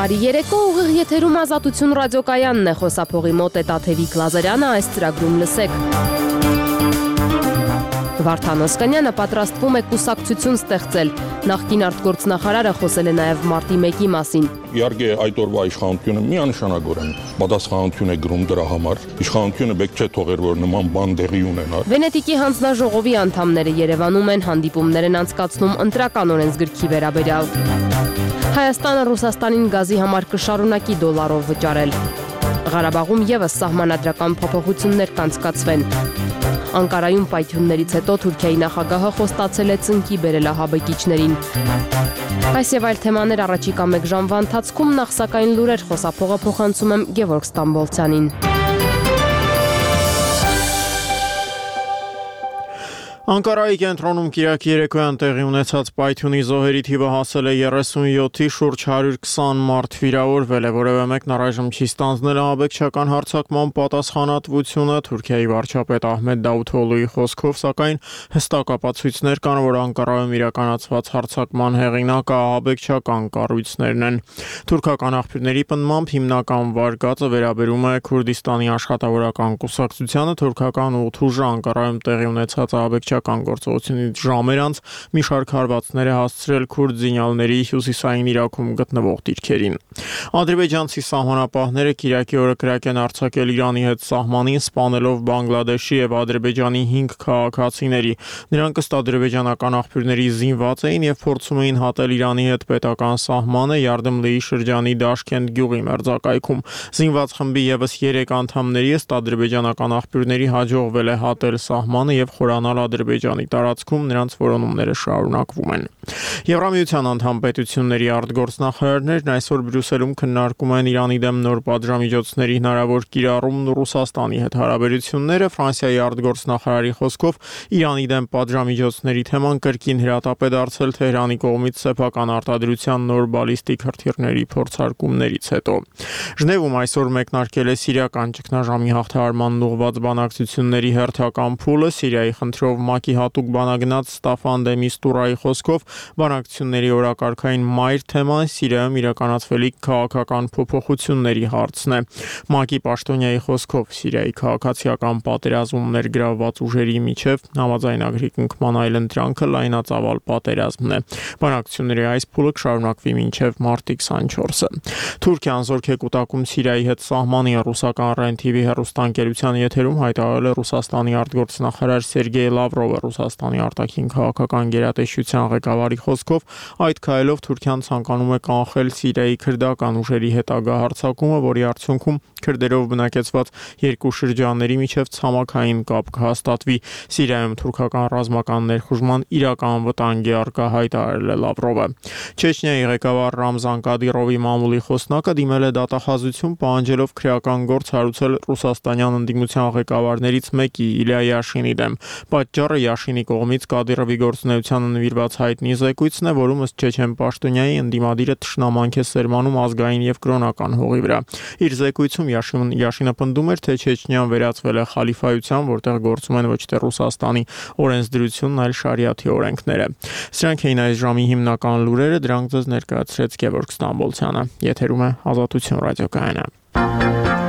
Բարի երեկո, ուղիղ եթերում Ազատություն ռադիոկայանն է, խոսափողի մոտ է Տաթևիկ Լազարյանը, այս ծրագրում լսեք։ Վարդան Օսկանյանը պատրաստվում է կուսակցություն ստեղծել։ Նախկին արտգործնախարարը խոսել է նաև մարտի 1-ի մասին։ Իհարկե այդ օրվա իշխանությունը միանշանագորեն պատասխանատվություն է գրում դրա համար։ Իշխանությունը պետք չէ թողեր, որ նման բան տեղի ունենա։ Վենետիկի հանձնաժողովի անդամները Երևանում են, հանդիպումներ են անցկացնում ընտրական օրենսգրքի վերաբերյալ։ Հայաստանը Ռուսաստանին գազի համար կշարունակի դոլարով վճարել։ Ղարաբաղում եւս սահմանադրական փոփոխություններ կանցկացվեն։ Անկարայում պայթյուններից հետո Թուրքիայի նախագահը խոստացել է ծնկի բերել ահաբեկիչներին։ Այս եւ այլ թեմաներ առաջիկա 1 ժամվա ընթացքում, նախ սակայն լուրեր, խոսափողը փոխանցում եմ Գևորգ Ստամբոլցյանին։ Անկարայի կենտրոնում Կիրակի երեկոյան տեղի ունեցած պայթյունի զոհերի թիվը հասել է 37-ի, շուրջ 120 մարդ վիրավորվել է, որևէ մեկն առայժմ չի ստանձնել ահաբեկչական հարձակման պատասխանատվությունը։ Թուրքիայի վարչապետ Ահմեդ Դավութօղլուի խոսքով, սակայն հստակ ապացույցներ կան, որ Անկարայում իրականացված հարձակման հեղինակը ահաբեկչական կառույցներն են։ Թուրքական աղբյուրների պնդմամբ հիմնական վարկածը վերաբերում է Քուրդիստանի աշխատավորական կուսակցությանը։ Թուրքական ուղթուժը Անկարայում տեղի ունեցած ահաբեկչական գործողությունից ժամեր անց մի շարք հարվածներ է հասցրել քուրդ զինյալների հյուսիսային Իրաքում գտնվող դիրքերին։ Ադրբեջանցի սահմանապահները Կիրակի օրը կրակ են արձակել Իրանի հետ սահմանին, սպանելով Բանգլադեշի եւ Ադրբեջանի 5 քաղաքացիների։ Նրանք ըստ ադրբեջանական աղբյուրների զինված էին եւ փորձում էին հատել Իրանի հետ պետական սահմանը Յարդեմլիի շրջանի Դաշքենդ գյուղի մերձակայքում։ Զինված խմբի եւս 3 անդամների ըստ ադրբեջանական աղբյուրների հաջողվել է հատել սահմանը եւ խորանալ Ադրբեջանի տարածքում, նրանց որոնումները շարունակվում են։ Եվրամիության անդամ պետությունների արտգործնախարարներն այսօր Բրյուսելում քննարկում են Իրանի դեմ նոր պատժամիջոցների հնարավոր կիրառումն ու Ռուսաստանի հետ հարաբերությունները։ Ֆրանսիայի արտգործնախարարի խոսքով Իրանի դեմ պատժամիջոցների թեման կրկին հրատապ է դարձել Թեհրանի կողմից սեփական արտադրության նոր բալիստիկ հրթիռների փորձարկումներից հետո։ Ժնևում այսօր մեկնարկել է սիրիական ճգնաժամի հաղթահարմանն ուղղված բանակցությունների հերթական փուլը։ Սիրիայի խնդրով ՄԱԿ-ի հատուկ բանագնաց Ստաֆան դե Միստուրայի խոսքով բանակցությունների օրակարգային մայր թեման Սիրիայում իրականացվելիք քաղաքական փոփոխությունների հարցն է։ ՄԱԿ-ի պաշտոնյայի խոսքով Սիրիայի քաղաքացիական պատերազմում ներգրավված ուժերի միջև համաձայնագրի կնքման այլընտրանքը լայնածավալ պատերազմն է։ Բանակցությունների այս փուլը կշարունակվի մինչև մարտի 24-ը։ Թուրքիան զորք է կուտակում Սիրիայի հետ սահմանի ռուսական REN-TV հեռուստաընկերության եթերում հայտարարել է Ռուսաստանի արտգործնախարար Սերգեյ Լավրովը։ Ռուսաստանի արտաքին քաղաքական գերատեսչության ղեկավարի խոսքով այդ քայլով Թուրքիան ցանկանում է կանխել Սիրիայի քրդական ուժերի հետագա հարձակումը, որի արդյունքում քրդերով բնակեցված երկու շրջանների միջև ցամաքային կապ կհաստատվի։ Սիրիայում թուրքական ռազմական ներխուժման իրական վտանգ է առկա, հայտարարել է Լավրովը։ Չեչնիայի ղեկավար Ռամզան Կադիրովի մամուլի խոսնակը դիմել է դատախազություն, պահանջելով քրեական գործ հարուցել ռուսաստանյան ընդդիմության ղեկավարներից մեկի Իլյա Յաշինի դեմ։ Պատճառը Յաշինի կողմից Կադիրովի գործունեությանը նվիրված հայտնի զեկույցն է, որում ըստ չեչեն պաշտոնյայի ընդդիմադիրը թշնամանք է սերմանում ազգային եւ կրոնական հողի վրա։ Իր զեկույցում Յաշինը պնդում էր, թե Չեչնիան վերածվել է խալիֆայության, որտեղ գործում են ոչ թե Ռուսաստանի օրենսդրությունն, այլ շարիաթի օրենքները։ Սրանք էին այս ժամի հիմնական լուրերը, դրանք ձեզ ներկայացրեց Գևորգ Ստամբոլցյանը։ Եթերում է Ազատություն ռադիոկայանը։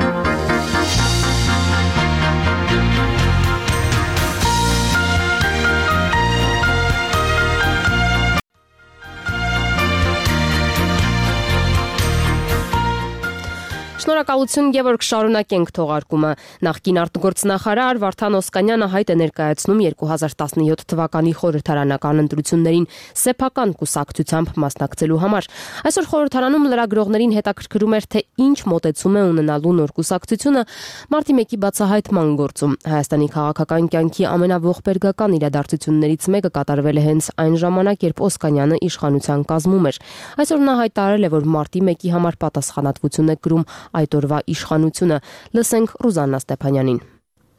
Շնորհակալություն Գևորգ, շարունակենք թողարկումը։ Նախկին արտգործնախարար Վարդան Օսկանյանը հայտ է ներկայացնում 2017 թվականի խորհրդարանական ընտրություններին սեփական կուսակցությամբ մասնակցելու համար։ Այսօր խորհրդարանում լրագրողներին հետաքրքրում էր, թե ինչ մոտեցում է ունենալու նոր կուսակցությունը մարտի 1-ի բացահայտման գործում։ Հայաստանի քաղաքական կյանքի ամենաողբերգական իրադարձություններից մեկը կատարվել է հենց այն ժամանակ, երբ Օսկանյանը իշխանության կազմում էր։ Այսօր նա հայտարարել է, որ մարտի 1-ի համար պատասխանատվություն է կրում այդ օրվա իշխանությունը։ Լսենք Ռուզաննա Ստեփանյանին։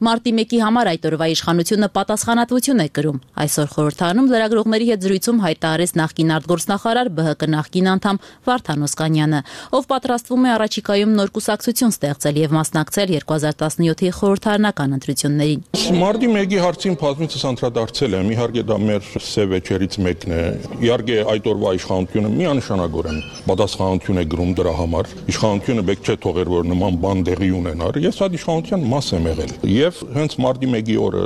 Մարտի 1-ի համար այդ օրվա իշխանությունը պատասխանատվություն է կրում։ Այսօր խորհրդարանում լրագրողների հետ զրույցում հայտարարեց նախկին արտգործնախարար ԲՀԿ նախկին անդամ Վարդան Օսկանյանը, ով պատրաստվում է առաջիկայում նոր կուսակցություն ստեղծել եւ մասնակցել 2017-ի խորհրդարանական ընտրություններին։ Մարտի 1-ի հարցին բազմիցս անդրադարձել եմ, իհարկե դա մեր սև էջերից մեկն է։ Իհարկե այդ օրվա իշխանությունը միանշանագորեն պատասխանատվություն է կրում դրա համար։ Իշխանությունը պետք չէ թողեր, որ նման բան դեղի ունենար։ Ես այդ իշխանության մաս եմ եղել։ Եվ հենց մարտի 1-ի օրը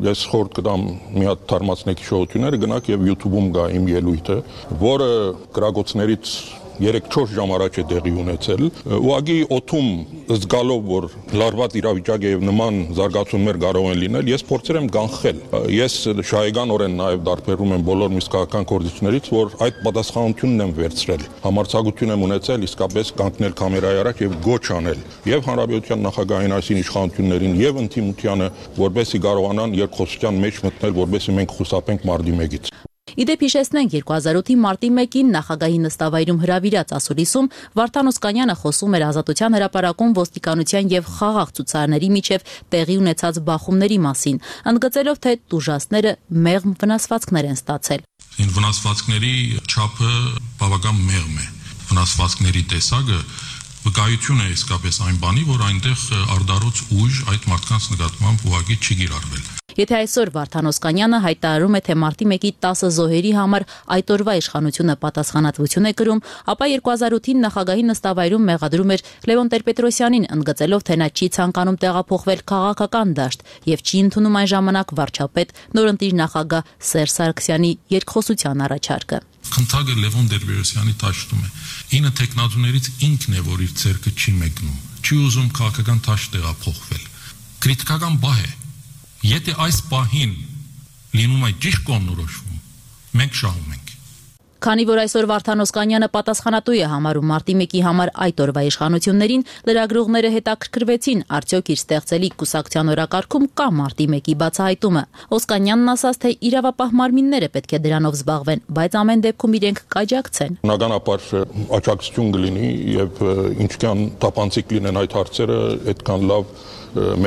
ես խորհուրդ կտամ մի հատ թարմացնեք հիշողությունները, գնաք եւ YouTube-ում գա իմ ելույթը, որը գրագոցներից 3-4 ժամ առաջ է տեղի ունեցել, ուղղակի օթում զգալով, որ լարված իրավիճակ է եւ նման զարգացումներ կարող են լինել, ես փորձել եմ կանխել։ Ես շահեգանորեն նաեւ դարբերում եմ բոլոր միսկական կորձիչներից, որ այդ պատասխանությունն եմ վերցրել։ Համարձակություն եմ ունեցել իսկապես կանգնել կամերայի առաջ եւ գոչ անել եւ հանրապետության նախագահային այսին իշխանություններին եւ ընդդիմությանը, որպեսզի կարողանան երկխոսության մեջ մտնել, որպեսզի մենք խուսափենք մարտի 1-ից։ Իդեպ հիշեցնենք 2008-ի մարտի 1-ին նախագահի նստավայրում հրավիրած ասուլիսում Վարդան Օսկանյանը խոսում էր Ազատության հրապարակում ոստիկանության եւ խաղաղ ցուցարարների միջև տեղի ունեցած բախումների մասին, ընդգծելով, թե տուժածները մեղմ վնասվածքներ են ստացել։ Վնասվածքների չափը բավական մեղմ է։ Վնասվածքների տեսակը վկայություն է իսկապես այն բանի, որ այնտեղ արդարոց ուժ այդ մարդկանց նկատմամբ ուղղակի չի կիրառվել։ Եթե այսօր Վարդան Օսկանյանը հայտարարում է, թե մարտի 1-ի 10 զոհերի համար այդ օրվա իշխանությունը պատասխանատվություն է կրում, ապա 2008-ին նախագահի նստավայրում մեղադրում էր Լևոն Տեր-Պետրոսյանին, ընդգծելով, թե նա չի ցանկանում տեղափոխվել քաղաքական դաշտ եւ չի ընդունում այն ժամանակ վարչապետ նորընտիր նախագահ Սերժ Սարգսյանի երկխոսության առաջարկը։ Խնդագը Լևոն Տեր-Պետրոսյանի դաշտում է։ Ինը տեխնատուներից ինքն է, որ իր ցերկը չի մեկնում, չի ուզում քաղաքական դաշտ տեղափոխվել։ Քրիտիկական բահ է։ Եթե այս պահին լինում է ճիշտ կողմնորոշվում, մենք շահում ենք։ Քանի որ այսօր Վարդան Օսկանյանը պատասխանատու է համարում մարտի 1-ի համար այդ օրվա իշխանություններին, լրագրողները հետաքրքրվեցին, արդյոք իր ստեղծելի կուսակցության օրակարգում կա մարտի 1-ի բացահայտումը։ Օսկանյանն ասաց, թե իրավապահ մարմինները պետք է դրանով զբաղվեն, բայց ամեն դեպքում իրենք կաջակցեն։ Բնականաբար աջակցություն կլինի եւ ինչքան տապանցիկ լինեն այդ հարցերը, այդքան լավ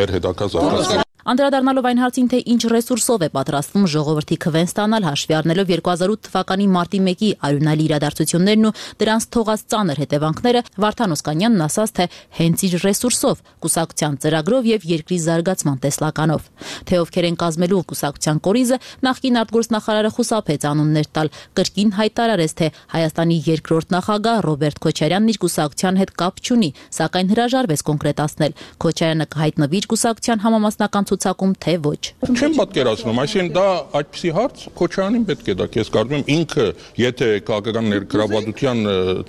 մեր հետագա զարգացումը։ Անդրադառնալով այն հարցին, թե ինչ ռեսուրսով է պատրաստվում ժողովրդի քվեն ստանալ, հաշվի առնելով 2008 թվականի մարտի 1-ի արյունալի իրադարձություններն ու դրանց թողած ծանր հետևանքները, Վարդան Օսկանյանն ասաց, թե հենց իր ռեսուրսով, կուսակցության ծրագրով եւ երկրի զարգացման տեսլականով։ Թե ովքեր են կազմելու կուսակցության կորիզը, նախկին արտգործնախարարը խուսափեց անուններ տալ, կրկին հայտարարեց, թե Հայաստանի երկրորդ նախագահ Ռոբերտ Քոչարյանն իր կուսակցության հետ կապ չունի, սակայն հրաժարվեց կոնկրետացնել։ Քոչարյանը կհայտնվի իր կուսակցության համամասնական ցուցակում, թե ոչ։ Չեմ պատկերացնում, այսինքն դա այդպիսի հարց Քոչարյանին պետք է դա, ես կարծում եմ ինքը, եթե քաղաքական ներգրավվածության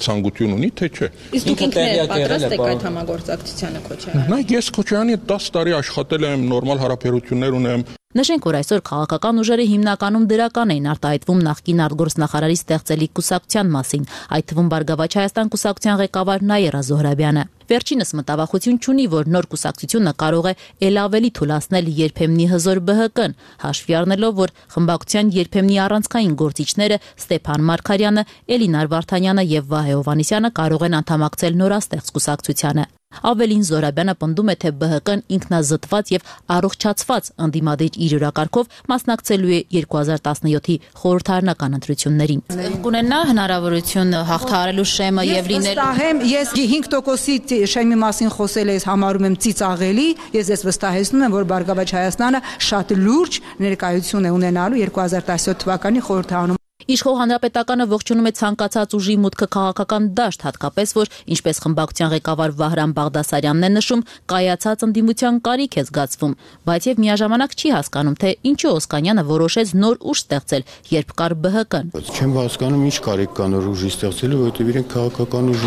ցանկություն ունի, թե չէ։ Իսկ դուք ինքն պատրաստ եք այդ համագործակցությանը Քոչարյանը։ Նայեք, ես Քոչարյանի 10 տարի աշխատել եմ, նորմալ հարաբերություններ ունեմ։ Նշենք, որ այսօր քաղաքական ուժերը հիմնականում դրական էին արտահայտվում նախկին արտգործնախարարի ստեղծելի կուսակցության մասին, այդ թվում Բարգավաճ Հայաստան կուսակցության ղեկավար Նաիրա Զոհրաբյանը։ Վերջինս մտավախություն չունի, որ նոր կուսակցությունը կարող է ել ավելի թուլացնել երբեմնի հզոր ԲՀԿ-ն, հաշվի առնելով, որ խմբակցության երբեմնի առանցքային գործիչները Ստեփան Մարգարյանը, Էլինար Վարդանյանը եւ Վահե Հովհաննիսյանը կարող են անդամակցել նորաստեղծ կուսակցությանը։ Ավելին Զոհրաբյանը պնդում է, թե ԲՀԿ-ն ինքնազտված եւ առողջացված ընդդիմադիր իր օրակարգով մասնակցելու է 2017-ի խորհրդարանական ընտրություններին։ Կունենա հնարավորություն հաղթահարելու շեմը եւ լինել։ Ես 5%-ի շեմի մասին խոսել ես, համարում եմ ծիծաղելի, ես վստահեցնում եմ, որ Բարգավաճ Հայաստանը շատ լուրջ ներկայություն է ունենալու 2017 թվականի խորհրդարանում։ Իշխող հանրապետականը ողջունում է ցանկացած ուժի մուտքը քաղաքական դաշտ, հատկապես որ, ինչպես խմբակցության ղեկավար Վահրամ Բաղդասարյանն է նշում, կայացած ընդդիմության կարիք է զգացվում, բայց եւ միաժամանակ չի հասկանում, թե ինչու Օսկանյանը որոշեց նոր ուժ ստեղծել, երբ կար ԲՀԿ-ն։ Չեմ հասկանում, ինչ կարիք կա նոր ուժի ստեղծելու, որովհետեւ իրենք քաղաքական ուժ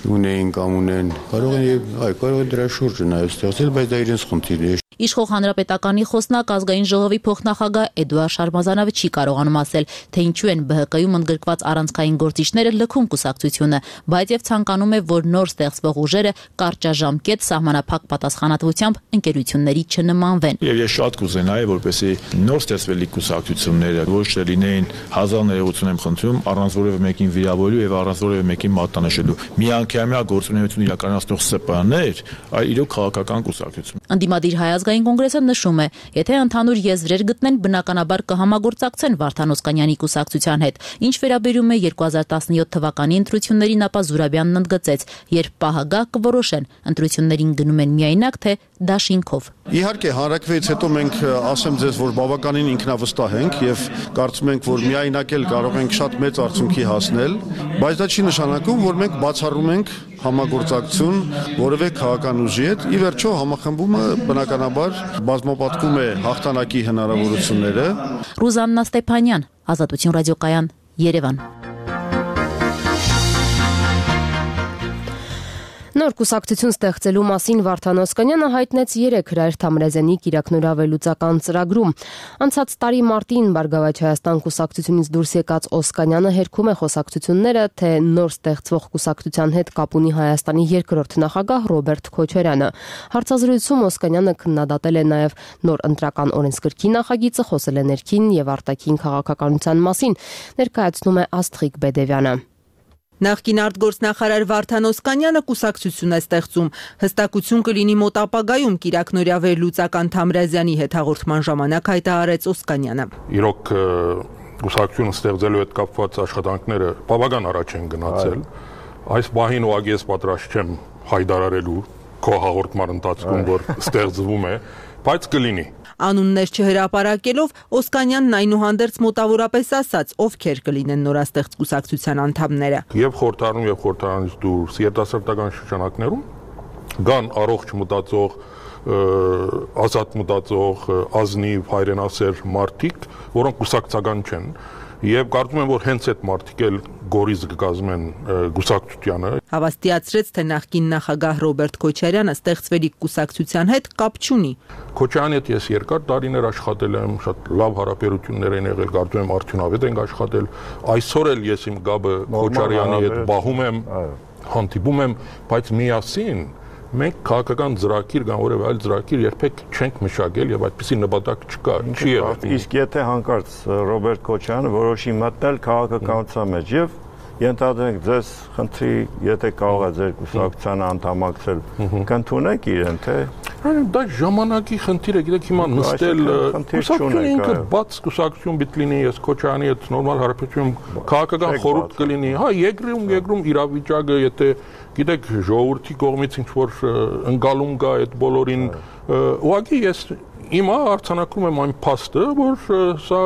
ունեն կամ ունեն, կարող են դրա շուրջը նաեւ ստեղծել, բայց դա իրենց խնդիրն է։ Իշխող հանրապետականի խոսնակ ազգային ժողովի փոխնախագահ Էդուարդ Շարմազանովը չի կարողանում ասել, թե ինչու են ԲՀԿ-ում ընդգրկված առանցքային գործիչները լքում կուսակցությունը, բայց եւ ցանկանում է, որ նոր ստեղծվող ուժերը կարճաժամկետ սահմանափակ պատասխանատվությամբ ընկերությունների չնմանվեն։ Եվ ես շատ կուզենայի, որպեսզի նոր ստեղծվելի կուսակցությունները ոչ թե լինեին 1000 ներողություն եմ խնդրում, առանց որևէ մեկին վիրավորելու եւ առանց որևէ մեկին մատնանշելու։ Միանգամյա գործունեություն իրականացնող ՍՊ-ներ, այլ իրոք քաղաքական կուսակցություն։ Ընդդիմադիր Հայ ազգային Ազգային կոնգրեսը նշում է, եթե ընդհանուր եզրեր գտնեն, բնականաբար կհամագործակցեն Վարդան Օսկանյանի կուսակցության հետ։ Ինչ վերաբերում է 2017 թվականի ընտրություններին, ապա Զուրաբյանն ընդգծեց, երբ պահը գա կորոշեն, ընտրություններին գնում են միայնակ թե դաշինքով։ Իհարկե, հանրակրվեից հետո մենք ասեմ ձեզ, որ բավականին ինքնավստահ ենք եւ կարծում ենք, որ միայնակ էլ կարող ենք շատ մեծ արդյունքի հասնել, բայց դա չի նշանակում, որ մենք բացառում ենք համագործակցություն որևէ քաղաքական ուժի հետ։ Ի վերջո համախմբումը բնականաբար բազմապատկում է հաղթանակի հնարավորությունները։ Ռուզաննա Ստեփանյան, Ազատություն ռադիոկայան, Երևան։ Նոր կուսակցություն ստեղծելու մասին Վարդան Օսկանյանը հայտնեց 3 Հրայր Թամրազյանի կիրակնորավելուծական ծրագրում։ Անցած տարի մարտին Բարգավաճ Հայաստան կուսակցությունից դուրս եկած Օսկանյանը հերքում է խոսակցությունները, թե նոր ստեղծվող կուսակցության հետ կապ ունի Հայաստանի երկրորդ նախագահ Ռոբերտ Քոչարյանը։ Հարցազրույցում Օսկանյանը քննադատել է նաև նոր ընտրական օրենսգրքի նախագիծը, խոսել է ներքին եւ արտաքին քաղաքականության մասին, ներկայացնում է Աստղիկ Բեդևյանը։ Նախկին արտգործնախարար Վարդան Օսկանյանը կուսակցություն է ստեղծում։ Հստակություն կլինի մոտ ապագայում կիրակնորյա վերլուծական Թամրազյանի հետ հաղորդման ժամանակ հայտարարեց Օսկանյանը։ Իրոք կուսակցություն ստեղծելու հետ կապված աշխատանքները բավական առաջ են գնացել։ Այս բահին ուղղակի ես պատրաստ չեմ հայտարարելու քո հաղորդման ընթացքում, որ ստեղծվում է, բայց կլինի։ Անուններ չհրապարակելով Օսկանյանն այնուհանդերձ մոտավորապես ասաց, ովքեր կլինեն նորաստեղծ կուսակցության անդամները։ Եվ խորհրդարանում եւ խորհրդարանից դուրս երիտասարդական շրջանակներում կան առողջ մտածող, ազատ մտածող, ազնիվ, հայրենասեր մարդիկ, որոնք կուսակցական չեն։ Եվ կարծում եմ, որ հենց այդ մարդիկ էլ գորիզ կկազմեն կուսակցությանը։ Հավաստիացրեց, թե նախկին նախագահ Ռոբերտ Քոչարյանը ստեղծվելիք կուսակցության հետ կապ չունի։ Քոչարյանի հետ ես երկար տարիներ աշխատել եմ, շատ լավ հարաբերություններ են եղել, կարծում եմ արդյունավետ ենք աշխատել։ Այսօր էլ ես իմ գաբը Քոչարյանի հետ բահում եմ, հանդիպում եմ, բայց միասին մենք քաղաքական ծրագիր կամ որևէ այլ ծրագիր երբեք չենք մշակել եւ այդպիսի նպատակ չկա, չի եղել։ Իսկ եթե հանկարծ Ռոբերտ Քոչարյանը որոշի մտնել քաղաքականության մեջ եւ ենթադրենք ձեզ խնդրի, եթե կարող է ձեր կուսակցությանը անդամակցել, կընդունեք իրեն, թե դա ժամանակի խնդիր է, գիտեք, հիմա նստել կուսակցությունը ինքը բաց կուսակցություն պիտի լինի, ես Քոչարյանի հետ նորմալ հարաբերություն քաղաքական խորհուրդ կլինի, հա, երկրում իրավիճակը, եթե գիտեք, ժողովրդի կողմից ինչ-որ ընկալում կա այդ բոլորին, ուղղակի ես հիմա արձանագրում եմ այն փաստը, որ սա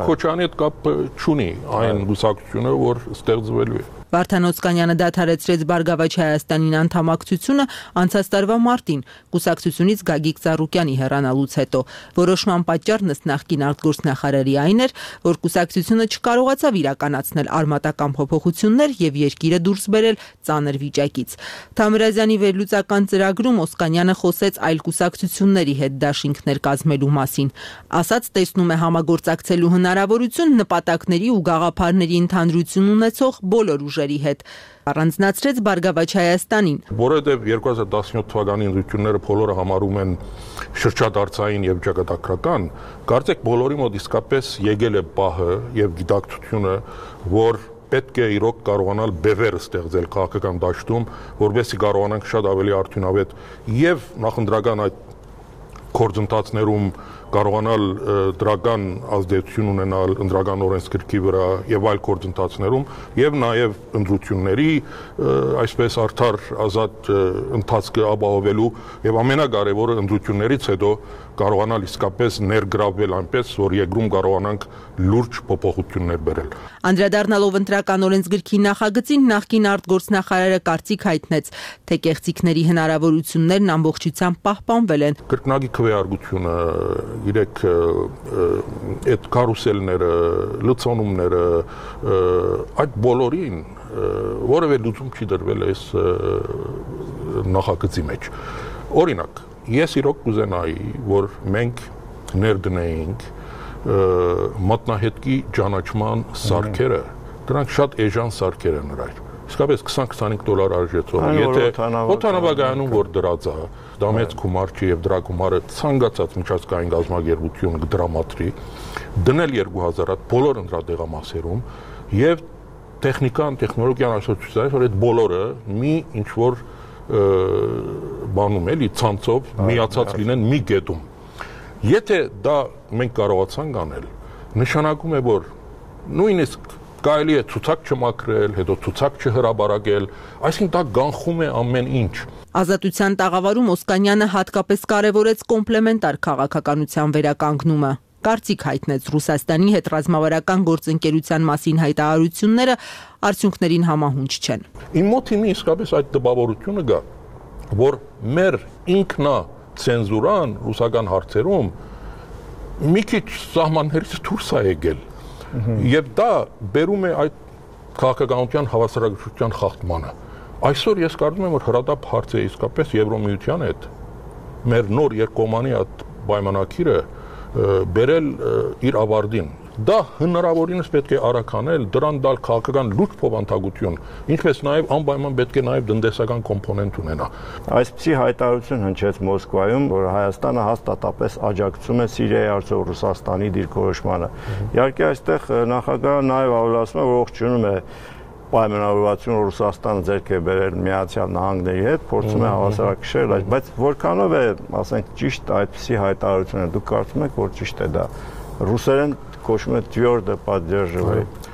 Քոչարյանի հետ կապ չունի այն կուսակցությունը, որ ստեղծվելու է։ Վարդան Օսկանյանը դադարեցրեց Բարգավաճ Հայաստանին անդամակցությունը անցած տարվա մարտին կուսակցությունից Գագիկ Ծառուկյանի հեռանալուց հետո։ Որոշման պատճառն ըստ նախկին արտգործնախարարի այն էր, որ կուսակցությունը չկարողացավ իրականացնել արմատական փոփոխություններ եւ երկիրը դուրս բերել ծանր վիճակից։ Թամրազյանի վերլուծական ծրագրում Օսկանյանը խոսեց այլ կուսակցությունների հետ դաշինքներ կազմելու մասին։ Ասաց, տեսնում է համագործակցելու հնարավորություն նպատակների ու գաղափարների ընդհանրություն ունեցող բոլոր հետ առանձնացրեց Բարգավաճ Հայաստանին։ Որովհետև 2017 թվականի ընտրությունները բոլորը համարում են շրջադարձային եւ ճակատագրական, կարծեք բոլորի մոտ իսկապես եկել է պահը եւ գիտակցությունը, որ պետք է իրոք կարողանալ բևեր ստեղծել քաղաքական դաշտում, որովհետեւ կարողանանք շատ ավելի արդյունավետ եւ նախընտրական այդ գործընթացներում կարողանալ դրական ազդեցություն ունենալ ընդրական օրենսգրքի վրա եւ այլ գործընթացներում եւ նաեւ ընտրությունների այսպես արդար ազատ ընթացքը ապահովելու եւ ամենակարևորը ընտրություններից հետո կարողանալ իսկապես ներգրավվել այնպես, որ երկրում կարողանանք լուրջ փոփոխություններ բերել։ Անդրադառնալով ընտրական օրենսգրքի նախագծին նախկին արտգործնախարարը կարծիք հայտնեց, թե կեղծիքների հնարավորություններն ամբողջությամբ պահպանվել են։ Կրկնակի քվեարկությունը, իրեք այդ կարուսելները, լցոնումները, այդ բոլորին որևէ լուծում չի դրվել այս նախագծի մեջ։ Օրինակ, ես իրոք կուզենայի, որ մենք ներդնեինք մատնահետքի ճանաչման սարքերը, դրանք շատ էժան սարքեր են նրայր։ Իսկապես $20-25 արժեցող, եթե օդանավակայանում որ դրած է, դա մեծ գումար չի եւ դրա գումարը ցանկացած միջազգային գազագերբություն կդրամատրի, դնել 2000 հատ բոլոր ընտրատեղամասերում եւ տեխնիկան, տեխնոլոգիան այսօր ցույց տալիս, որ այդ բոլորը մի ինչ որ բանում էլի ցանցով միացած լինեն մի կետում։ Եթե դա մենք կարողացանք անել, նշանակում է, որ նույնիսկ կարելի է ցուցակ չմաքրել, հետո ցուցակ չհրաբարակել, այսինքն դա գանխում է ամեն ինչ։ Ազատության տաղավարում Օսկանյանը հատկապես կարևորեց կոմպլեմենտար քաղաքականության վերականգնումը։ Կարծիք հայտնեց Ռուսաստանի հետ ռազմավարական գործընկերության մասին հայտարարությունները արդյունքներին համահունչ չեն։ Իմ մոտ հիմա իսկապես այդ տպավորությունը կա, որ մեր ինքնա ցենզուրան ռուսական հարցերում մի քիչ սահմաններից դուրս է եկել։ Եվ դա բերում է այդ քաղաքականության հավասարակշռության խախտմանը։ Այսօր ես կարծում եմ, որ հրադապ հարցը իսկապես Եվրոմիության հետ մեր նոր երկկողմանի այդ պայմանագիրը բերել իր ավարտին։ Դա հնարավորինս պետք է արագ անել, դրան տալ քաղաքական լուրջ փոխանցագություն, ինչպես նաև անպայման պետք է նաև տնտեսական կոմպոնենտ ունենա։ Այսպիսի հայտարարություն հնչեց Մոսկվայում, որ Հայաստանը հաստատապես աջակցում է Սիրիայի հարցով Ռուսաստանի դիրքորոշմանը։ Իհարկե այստեղ նախագահը նաև ավելացնում է, որ ողջունում է պայմանավորվածություն Ռուսաստանը ձեռք է բերել Միացյալ Նահանգների հետ, փորձում է հավասարակշռել, բայց որքանով է, ասենք, ճիշտ այդպիսի հայտարարությունը, դուք կարծում եք, որ ճիշտ է դա։ Ռուսերեն կոչվում է «Твердо поддерживает»։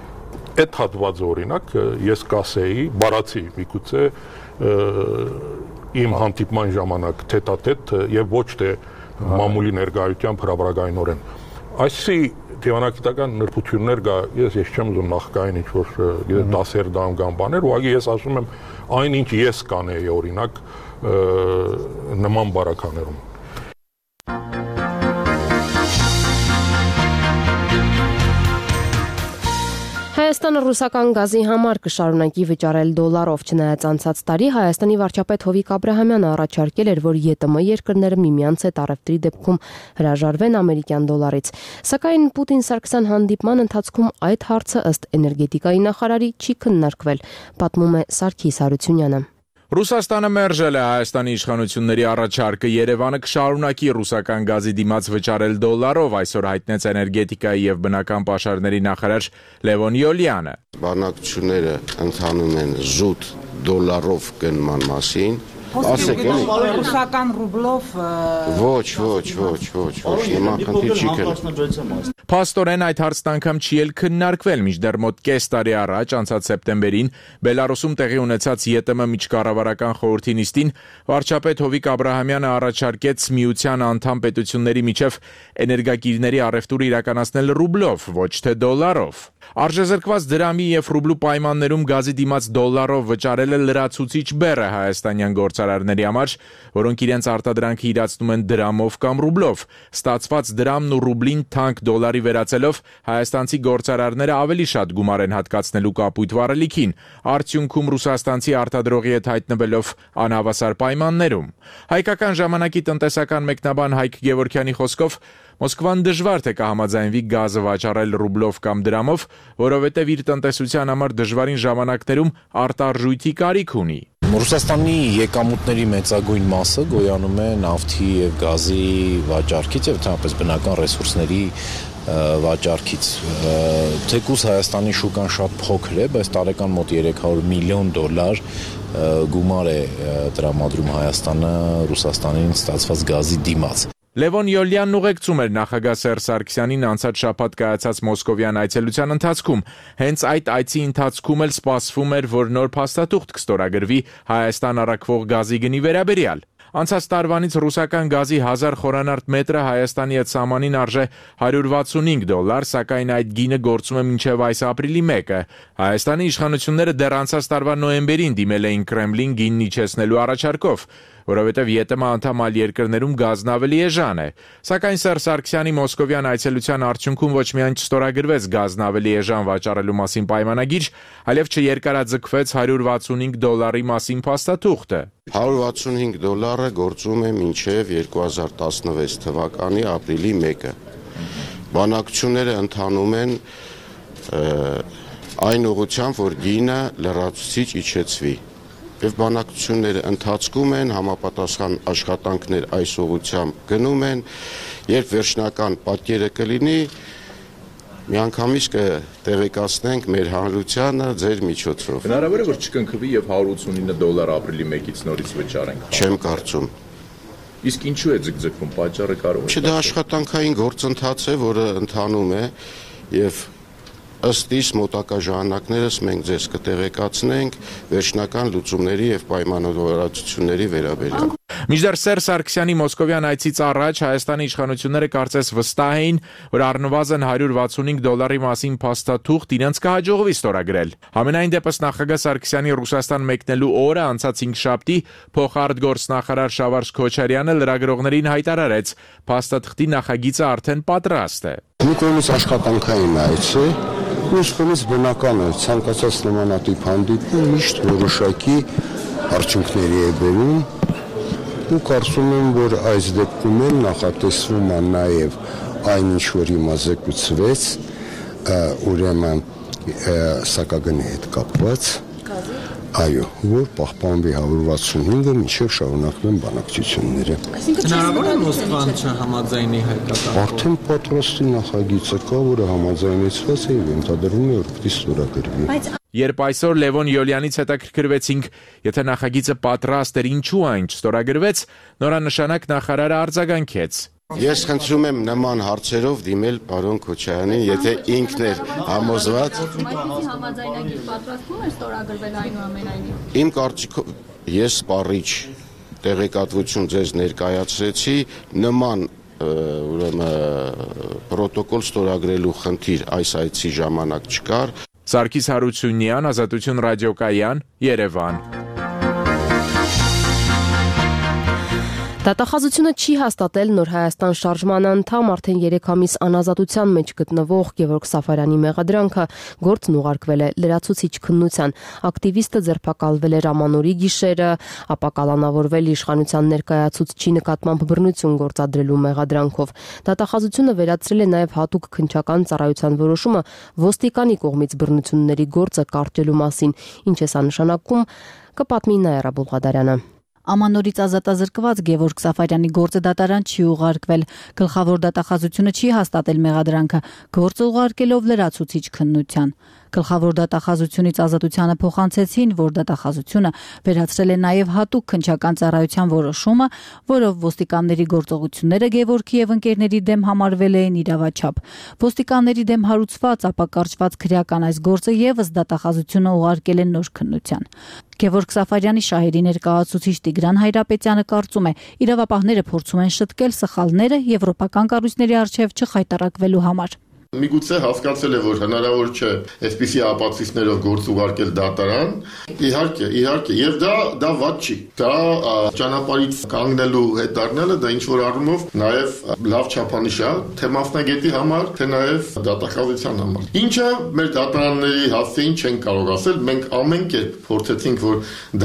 Այդ հատվածը օրինակ ես կասեի, բառացի միգուցե իմ հանդիպման ժամանակ թեթատեթ եւ ոչ թե մամուլի ներկայությամբ հրաբարակայնորեն։ Այսի դիվանագիտական նրբություններ կա, ես չեմ ուզում նախկային ինչ-որ դասեր դամ կամ բաներ, ուղղակի ես ասում եմ այն ինչ ես կանեի օրինակ նման բարականերում։ Հայաստանը ռուսական գազի համար կշարունակի վճարել դոլարով, չնայած անցած տարի Հայաստանի վարչապետ Հովիկ Աբրահամյանը առաջարկել էր, որ ԵՏՄ երկրները միմյանց հետ առևտրի դեպքում հրաժարվեն ամերիկյան դոլարից։ Սակայն Պուտին-Սարգսյան հանդիպման ընթացքում այդ հարցը ըստ էներգետիկայի նախարարի չի քննարկվել, պատմում է Սարգիս Հարությունյանը։ Ռուսաստանը մերժել է Հայաստանի իշխանությունների առաջարկը, Երևանը կշարունակի ռուսական գազի դիմաց վճարել դոլարով, այսօր հայտնեց էներգետիկայի եւ բնական պաշարների նախարար Լևոն Յոլյանը։ Բանակցությունները ընթանում են զուտ դոլարով գնման մասին։ Ասեք էլի ռուսական ռուբլով ոչ, նման խնդիր չի կրել։ Փաստորեն այդ հարցն անգամ չի էլ քննարկվել, մինչդեռ մոտ կես տարի առաջ, անցած սեպտեմբերին, Բելարուսում տեղի ունեցած ԵՏՄ միջկառավարական խորհրդի նիստին վարչապետ Հովիկ Աբրահամյանը առաջարկեց միության անդամ պետությունների միջև էներգակիրների առևտուր իրականացնել ռուբլով, ոչ թե դոլարով։ Արժեզրկված դրամի եւ ռուբլու պայմաններում գազի դիմաց դոլարով վճարելը լրացուցիչ բեռ է հայաստանյան գործարարների համար, որոնք իրենց արտադրանքը իրացնում են դրամով կամ ռուբլով։ Ստացված դրամն ու ռուբլին թանկ դոլարի վերածելով հայաստանցի գործարարները ավելի շատ գումար են հատկացնելու կապույտ վառելիքին, արդյունքում ռուսաստանցի արտադրողի հետ հայտնվելով անհավասար պայմաններում։ Հայկական ժամանակի տնտեսական մեկնաբան Հայկ Գևորգյանի խոսքով Մոսկվան դժվար թե կհամաձայնվի գազը վաճառել ռուբլով կամ դրամով, որովհետև իր տնտեսության համար դժվարին ժամանակներում արտարժույթի կարիք ունի։ Ռուսաստանի եկամուտների մեծագույն մասը գոյանում է նավթի եւ գազի վաճառքից եւ ընդհանրապես բնական ռեսուրսների վաճառքից։ Թեկուզ Հայաստանի շուկան շատ փոքր է, բայց տարեկան մոտ $300 միլիոն գումար է տրամադրում Հայաստանը Ռուսաստանին ստացված գազի դիմաց։ Լևոն Յոլյանն ուղեկցում էր նախագահ Սերժ Սարգսյանին անցած շաբաթ կայացած մոսկովյան այցելության ընթացքում։ Հենց այդ այցի ընթացքում էլ սպասվում էր, որ նոր փաստաթուղթ կստորագրվի Հայաստան առաքվող գազի գնի վերաբերյալ։ Անցած տարվանից ռուսական գազի 1000 խորանարդ մետրը Հայաստանի հետ սահմանին արժե $165, սակայն այդ գինը գործում է մինչև այս ապրիլի 1-ը։ Հայաստանի իշխանությունները դեռ անցած տարվա նոյեմբերին դիմել էին Կրեմլին գինն իջեցնելու առաջարկով, որովհետև ԵՏՄ անդամ այլ երկրներում գազն ավելի էժան է։ Սակայն Սերժ Սարգսյանի մոսկովյան այցելության արդյունքում ոչ միայն չստորագրվեց գազն ավելի էժան վաճառելու մասին պայմանագիր, այլև չերկարաձգվեց $165 մասին փաստաթուղթը։ $165 գործում է մինչև 2016 թվականի ապրիլի 1-ը։ Բանակցությունները ընթանում են այն ուղղությամբ, որ գինը լրացուցիչ իջեցվի։ Եվ բանակցությունները ընթացքում են, համապատասխան աշխատանքներ այս ուղղությամբ գնում են, երբ վերջնական պատկերը կլինի, Միանգամից կտեղեկացնենք մեր հանրությանը ձեր միջոցով։ Հնարավոր է որ չկնքվի եւ $189 ապրիլի 1-ից նորից վճարենք։ Չեմ կարծում։ Իսկ ինչու է ձգձգվում, պատճառը կարող է։ Չէ, դա աշխատանքային գործընթաց է, որը ընթանում է եւ ըստ իս մոտակա ժամանակներս մենք ձեզ կտեղեկացնենք վերջնական լուծումների եւ պայմանավորվածությունների վերաբերյալ։ Մինչդեռ Սերժ Սարգսյանի մոսկովյան այցից առաջ Հայաստանի իշխանությունները կարծես վստահ էին, որ առնվազն $165 մասին փաստաթուղթ իրենց կհաջողվի ստորագրել։ Համենայն դեպս նախագահ Սարգսյանի Ռուսաստան մեկնելու օրը անցած 5-շաբթի փոխարտգործնախարար Շավարժ Քոչարյանը լրագրողներին հայտարարեց, փաստաթղթի նախագիծը արդեն պատրաստ է։ Մի կողմից աշխատանքային այց է, մյուս կողմից բնական է, ցանկացած նմանատիպ հանդիպում միշտ որոշակի արդյունքների է բերում։ Ու կարծում եմ, որ այս դեպքում էլ նախատեսվում է նաև այն ինչ որ հիմա զեկուցվեց, ուրեմն սակագնի հետ կապված, այո, որ պահպանվի 165-ը մինչև շարունակվեն բանակցությունները։ Հնարավոր է Մոսկվան չհամաձայնի հայկական։ Արդեն պատրաստի նախագիծը կա, որը համաձայնեցված է եւ ենթադրվում է, որ պիտի ստորագրվի։ Երբ այսօր Լևոն Յոլյանից հետաքրքրվեցինք, եթե նախագիծը պատրաստ էր, ինչու այն չստորագրվեց, նորանշանակ նախարարը արձագանքեց։ Ես խնդրում եմ նման հարցերով դիմել պարոն Քոչարյանին, եթե ինքն էր համոզված։ Այսպիսի համաձայնագիր պատրաստվում է ստորագրվել այնուամենայնիվ։ Իմ կարծիքով ես սպառիչ տեղեկատվություն ձեզ ներկայացրեցի, նման ուրեմն պրոտոկոլ ստորագրելու խնդիր այս այցի ժամանակ չկար։ Սարգիս Հարությունյան, Ազատություն ռադիոկայան, Երևան։ Դատախազությունը չի հաստատել Նոր Հայաստան շարժման անդամ արդեն 3 ամիս անազատության մեջ գտնվող Գևորգ Սաֆարյանի մեղադրանքը գործն ուղարկվել է լրացուցիչ քննության։ Ակտիվիստը ձերբակալվել էր ամանորի գիշերը, ապա կալանավորվել իշխանության ներկայացուցչի նկատմամբ բռնություն գործադրելու մեղադրանքով։ Դատախազությունը վերացրել է նաև հատուկ քննչական ծառայության որոշումը ոստիկանի կողմից բռնությունների գործը կարճելու մասին, ինչ է սա նշանակում, կպատմի Նաիրա Բուլղադարյանը։ Ամանորից ազատազրկված Գևորգ Սաֆարյանի գործը դատարան չի ուղարկվել։ Գլխավոր դատախազությունը չի հաստատել մեղադրանքը, գործը ուղարկելով լրացուցիչ քննության։ Գլխավոր դատախազությունից ազատությանը փոխանցեցին, որ դատախազությունը վերացրել է նաև հատուկ քննչական ծառայության որոշումը, որով ոստիկանների գործողությունները Գևորգի եւ ընկերների դեմ համարվել էին իրավաչափ։ Ոստիկանների դեմ հարուցված, ապա կարճված քրեական այս գործը եւս դատախազությունը ուղարկել է նոր քննության։ Գևորգ Սաֆարյանի շահերի ներկայացուցիչ Տիգրան Հայրապետյանը կարծում է, իրավապահները փորձում են շտկել սխալները եվրոպական կառույցների առջև չխայտարակվելու համար։ Միգուցե հասկացել է, որ հնարավոր չէ այսպիսի ապացույցներով գործ ուղարկել դատարան։ Իհարկե, եւ դա վատ չի։ Դա ճանապարհից կանգնելու հետ դառնալը դա ինչ որ առումով նաեւ լավ չափանիշ է, թե մասնագետի համար, թե նաեւ դատախազության համար։ Ինչը մեր դատարանների հասցեին չեն կարող ասել, մենք ամեն կերպ փորձեցինք, որ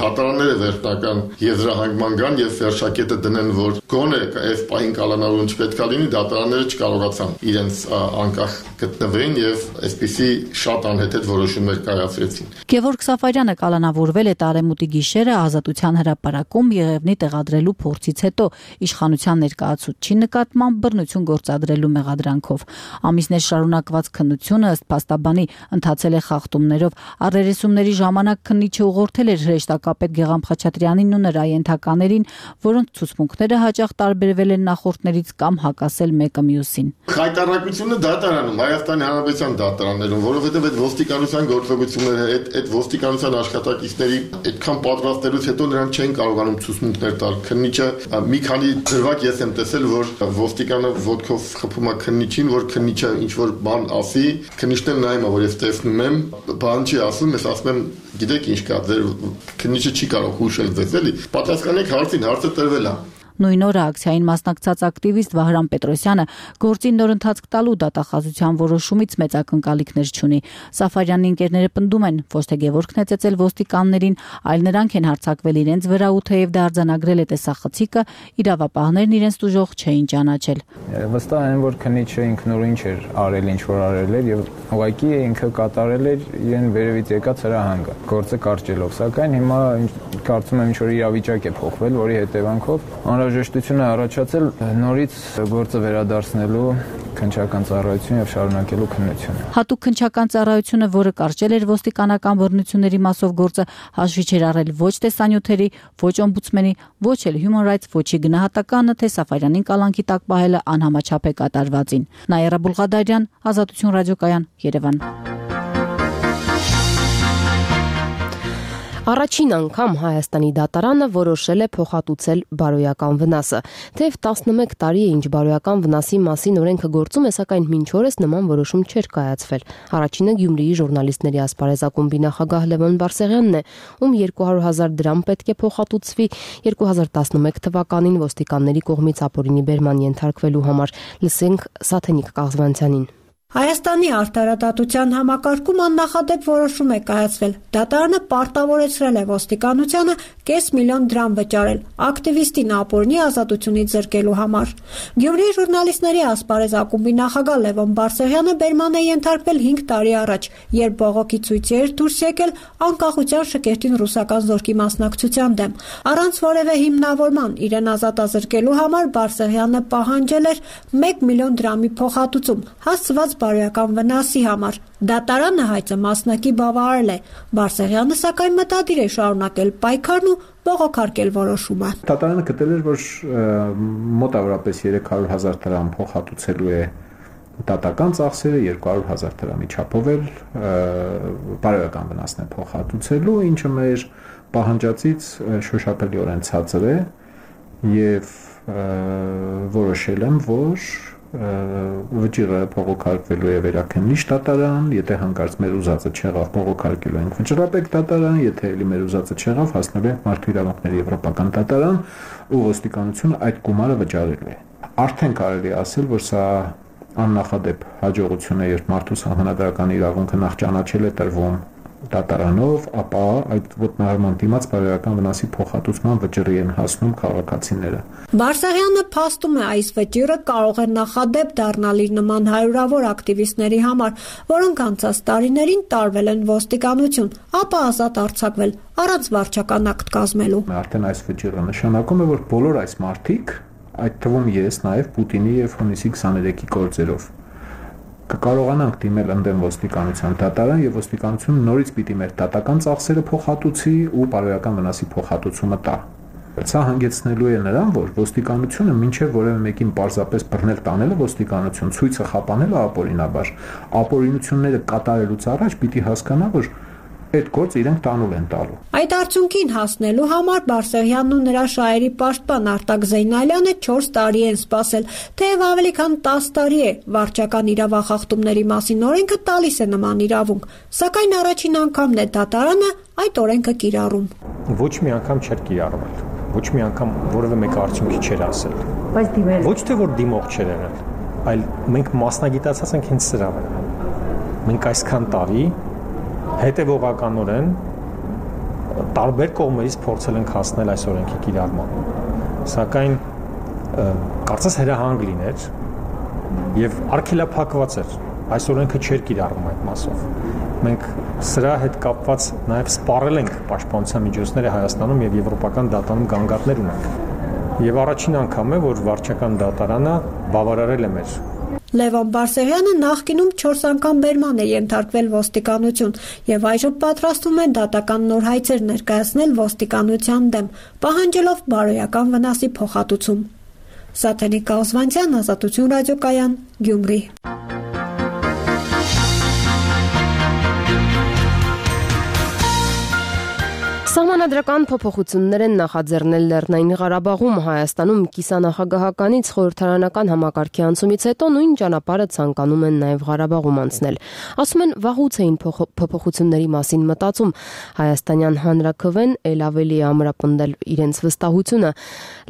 դատարանները վերջնական եզրահանգման գան եւ վերջակետը դնեն, որ գոնե այս պահին կալանավորում չպետք է լինի, դատարանները չկարողացան իրենց անկախ գտնվեն եւ այսպիսի շատ անհեթեթ որոշումներ կայացրեցին։ Գևորգ Սաֆարյանը կալանավորվել է տարեմուտի գիշերը Ազատության հրապարակում Եղևնի տեղադրելու փորձից հետո իշխանության ներկայացուցչի նկատմամբ բռնություն գործադրելու մեղադրանքով։ Ամիսներ շարունակված քննությունը ըստ փաստաբանի ընթացել է խախտումներով։ Առերեսումների ժամանակ քննիչը ուղղորդել էր հրեշտակապետ Գեգամ Խաչատրյանին ու նրա ենթականերին, որոնց ցուցմունքները հաճախ տարբերվել են նախորդներից կամ հակասել մեկը մյուսին։ Խայտարակությունը դատարանում Հայաստանի Հանրապետության դատարաններում, որովհետև այդ ոստիկանության գործողությունները, այդ ոստիկանության աշխատակիցների այդքան պատրաստելուց հետո նրանք չեն կարողանում ցուցմունքներ տալ։ Քննիչը մի քանի դրվագ ես եմ տեսել, որ ոստիկանը ոտքով խփում է քննիչին, որ քննիչը ինչ որ բան ասի, քննիչն էլ նայում է, որ ես տեսնում եմ, բան չի ասում, ես ասում եմ, գիտեք ինչ կա, ձեր քննիչը չի կարող հուշել ձեզ, էլի։ Պատասխանեք հարցին, հարցը տրվել է։ Նույն օրը ակցիային մասնակցած ակտիվիստ Վահրամ Պետրոսյանը գործին նոր ընթացք տալու դատախազության որոշումից մեծ ակնկալիքներ չունի։ Սաֆարյանի ընկերները պնդում են, ոչ թե Գևորգն է ծեծել ոստիկաններին, այլ նրանք են հարձակվել իրենց վրա ու թեև դա արձանագրել է տեսախցիկը, իրավապահներն իրենց տուժող չէին ճանաչել։ Վստահ եմ, որ քննիչը ինքնուրույն չէր արել ինչ որ արել էր եւ ուղղակի ինքը կատարել էր իրեն վերևից եկած հրահանգը գործը կարճելով, սակայն հիմա կարծում եմ ինչ որ իրավիճակ է փոխվել, որի հետևանքով անհրաժեշտություն է առաջացել նորից գործը վերադարձնելու քննչական ծառայություն եւ շարունակելու քննությունը։ Հատուկ քննչական ծառայությունը, որը կարճել էր ոստիկանական բռնությունների մասով գործը, հաշվի չէր առել ոչ տեսանյութերի, ոչ օմբուդսմենի, ոչ էլ Human Rights Watch-ի գնահատականը, թե Սաֆարյանին կալանքի տակ պահելը անհամաչափ է կատարվածին։ Նաիրա Բուլղադարյան, Ազատություն ռադիոկայան, Երևան։ Առաջին անգամ Հայաստանի դատարանը որոշել է փոխհատուցել բարոյական վնասը։ Թեև 11 տարի է ինչ բարոյական վնասի մասին օրենքը գործում է, սակայն մինչ օրս նման որոշում չէր կայացվել։ Առաջինը Գյումրիի ժուրնալիստների ասպարեզ ակումբի նախագահ Լևոն Բարսեղյանն է, ում 200,000 դրամ պետք է փոխհատուցվի 2011 թվականին ոստիկանների կողմից ապօրինի բերման ենթարկվելու համար։ Լսենք Սաթենիկ Կաղզվանցյանին։ Հայաստանի արդարադատության համակարգում աննախադեպ որոշում է կայացվել։ Դատարանը պարտավորեցրել է ոստիկանությանը $500,000 դրամ վճարել ակտիվիստին ապօրինի ազատությունից զրկելու համար։ Գյումրիի ժուրնալիստների ասպարեզ ակումբի նախագահ Լևոն Բարսեղյանը բերման է ենթարկվել 5 տարի առաջ, երբ բողոքի ցույցի էր դուրս եկել անկախության շքերթին ռուսական զորքի մասնակցության դեմ։ Առանց որևէ հիմնավորման իրեն ազատազրկելու համար Բարսեղյանը պահանջել էր $1 միլիոն դրամի փոխհատուցում, հասցված բարոյական վնասի համար։ Դատարանը հայցը մասնակի բավարարել է։ Բարսեղյանը սակայն մտադիր է շարունակել պայքարն ու բողոքարկել որոշումը։ Դատարանը գտել էր, որ մոտավորապես 300,000 դրամ փոխհատուցելու է դատական ծախսերը, 200,000 դրամի չափով էլ բարոյական վնասն է փոխհատուցելու, ինչը մեր պահանջածից շոշափելիորեն ցածր է եւ որոշել եմ, որ վճիռը փողոքարկվելու է վերաքննիչ դատարան, եթե հանկարծ մեր ուզածը չեղավ, փողոքարկելու ենք վճռապետ դատարան, եթե էլի մեր ուզածը չեղավ, հասնելու ենք Մարդու իրավունքների եվրոպական դատարան, ու ոստիկանությունը այդ գումարը վճարելու է։ Արդեն կարելի է ասել, որ սա աննախադեպ հաջողություն է, երբ մարդու սահմանադրական իրավունքը նախ ճանաչել է տրվում դատարանով, ապա այդ ոտնահարման դիմաց բարոյական վնասի փոխհատուցման վճռի են հասնում քաղաքացիները։ Բարսեղյանը փաստում է, այս վճիռը կարող է նախադեպ դառնալ իր նման հարյուրավոր ակտիվիստների համար, որոնք անցած տարիներին տարվել են ոստիկանություն, ապա ազատ արձակվել առանց վարչական ակտ կազմելու։ Արդեն այս վճիռը նշանակում է, որ բոլոր այս մարդիկ, այդ թվում ես նաև Պուտինի եւ հունիսի 23-ի գործերով կկարողանանք դիմել ընդդեմ ոստիկանության դատարան եւ ոստիկանությունը նորից պիտի մեր դատական ծախսերը փոխհատուցի ու բարոյական վնասի փոխհատուցումը տա։ Սա հանգեցնելու է նրան, որ ոստիկանությունը մինչև որևէ մեկին պարզապես բռնել տանելը ոստիկանություն ցույցը խափանելը ապօրինաբար, ապօրինությունները կատարելուց առաջ պիտի հասկանա, որ այդ գործը իրենք տանուլ են տալու։ Այդ արդյունքին հասնելու համար Բարսեղյանն ու նրա շահերի պաշտպան Արտակ Զեյնալյանը 4 տարի են սպասել, թեև ավելի քան 10 տարի է վարչական իրավախախտումների մասին օրենքը տալիս է նման իրավունք, սակայն առաջին անգամն է դատարանը այդ օրենքը կիրառում։ Ոչ մի անգամ չէր կիրառվել, ոչ մի անգամ որևէ մեկ արդյունքի չէր ասել։ Բայց դիմել ոչ թե որ դիմող չէր եղել, այլ մենք մասնագիտացած ենք հենց սրա վրա։ Մենք այսքան տարի հետևողականորեն տարբեր կողմերից փորձել ենք հասնել այս օրենքի կիրառման։ Սակայն կարծես հրահանգ լիներ եւ արգելափակված էր։ Այս օրենքը չէր կիրառվում այդ մասով։ Մենք սրա հետ կապված նաեւ սպառել ենք պաշտպանության միջոցները Հայաստանում եւ եվրոպական դատարանում գանգատներ ունենք։ Եվ առաջին անգամ է, որ վարչական դատարանը բավարարել է մեր Լևոն Բարսեղյանը նախկինում 4 անգամ բերման է ենթարկվել ոստիկանություն եւ այժմ պատրաստվում է դատական նոր հայցեր ներկայացնել ոստիկանության դեմ, պահանջելով բարոյական վնասի փոխհատուցում։ Սաթենիկ Կաղզվանցյան, Ազատություն ռադիոկայան, Գյումրի։ Սահմանադրական փոփոխություններ են նախաձեռնել Լեռնային Ղարաբաղում, Հայաստանում կիսանախագահականից խորհրդարանական համակարգի անցումից հետո նույն ճանապարհը ցանկանում են նաև Ղարաբաղում անցնել։ Ասում են վաղուց էին փոփոխությունների մասին մտածում։ Հայաստանյան հանրաքվեն ել ավելի է ամրապնդել իրենց վստահությունը։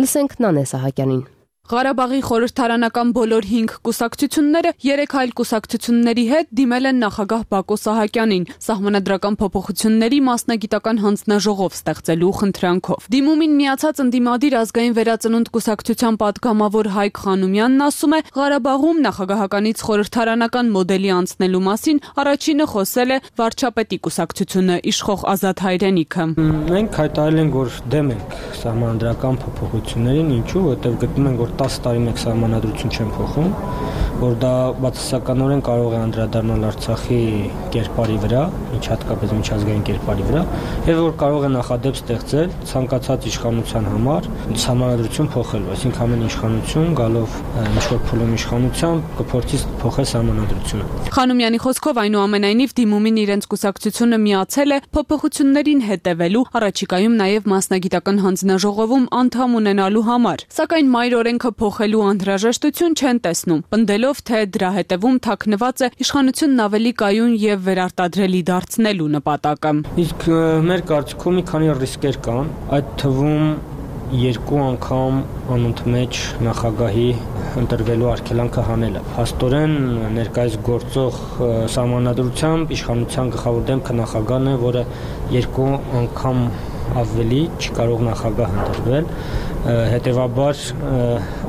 Լսենք Նանե Սահակյանին։ Ղարաբաղի խորհրդարանական բոլոր 5 կուսակցությունները 3 այլ կուսակցությունների հետ դիմել են նախագահ Բակո Սահակյանին սահմանադրական փոփոխությունների մասնագիտական հանձնաժողով ստեղծելու խնդրանքով։ Դիմումին միացած ընդդիմադիր ազգային վերածնունդ կուսակցության պատգամավոր Հայկ Խանոմյանն ասում է, Ղարաբաղում նախագահականից խորհրդարանական մոդելի անցնելու մասին առաջինը խոսել է վարչապետի կուսակցությունը իշխող Ազատ Հայրենիքը։ Մենք հայտարարել ենք, որ դեմ ենք սահմանադրական փոփոխություններին, ինչու, որտեղ գտնում ենք, որ 10 տարի մեկ սահմանադրություն չեն փոխում, որ դա բացասականորեն կարող է անդրադառնալ Արցախի կերպարի վրա, հատկապես միջազգային կերպարի վրա, եւ որ կարող է նախադեպ ստեղծել ցանկացած իշխանության համար համանդրություն փոխելու, այսինքն ամեն իշխանություն գալով ինչ-որ փուլում իշխանությամբ կփորձի փոխել համանդրությունը։ Խանոմյանի խոսքով այնուամենայնիվ դիմումին իրենց կուսակցությունը միացել է փոփոխություններին հետևելու, առաջիկայում նաև մասնագիտական հանձնաժողովում անդամ ունենալու համար, սակայն մայր օրենքը փոխելու անհրաժեշտություն չեն տեսնում, պնդելով, թե դրա հետևում թաքնված է իշխանությունն ավելի կայուն եւ վերարտադրելի դարձնելու նպատակը։ Իսկ մեր կարծիքով մի քանի ռիսկեր կան, այդ թվում 2 անգամ անընդմեջ նախագահի ընտրվելու արգելանքը հանելը։ Փաստորեն ներկայիս գործող սահմանադրությամբ իշխանության գլխավոր դեմքը նախագահն է, որը 2 անգամ ավելի չի կարող նախագահ ընտրվել, հետևաբար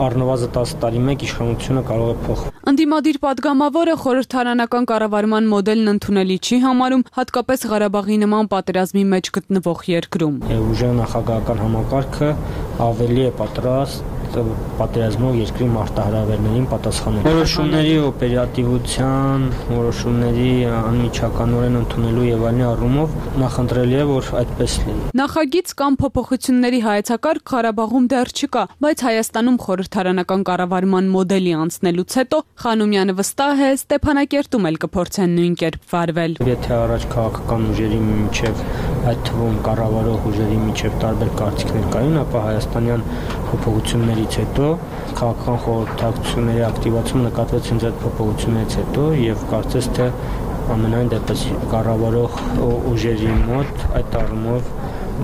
առնվազն 10 տարի մեկ իշխանությունը կարող է փոխվել։ Ընդդիմադիր падգամավորը խորհրդարանական կառավարման մոդելն ընդունելի չի համարում, հատկապես Ղարաբաղի նման պատերազմի մեջ գտնվող երկրում։ Ուժեղ նախագահական համակարգը ավելի է պատրաստ պատերազմով երկրի մարտահրավերներին պատասխանել։ Որոշումների օպերատիվության, որոշումների անմիջականորեն ընդունելու եւ այլն առումով նախընտրելի է, որ այդպես լինի։ Նախագիծ կամ փոփոխությունների հայեցակարգ Ղարաբաղում դեռ չկա, բայց Հայաստանում խորհրդարանական կառավարման մոդելի անցնելուց հետո Խանոմյանը վստահ է, Ստեփանակերտում էլ կփորձեն նույն կերպ վարվել։ Եթե առաջ քաղաքական ուժերի միջև, այդ թվում կառավարող ուժերի միջև տարբեր կարծիքներ կային, ապա հայաստանյան փոփոխություններից հետո քաղաքական խորհրդակցությունների ակտիվացում նկատվեց հենց այդ փոփոխություններից հետո եւ կարծես թե ամենայն դեպս կառավարող ուժերի մոտ այդ առումով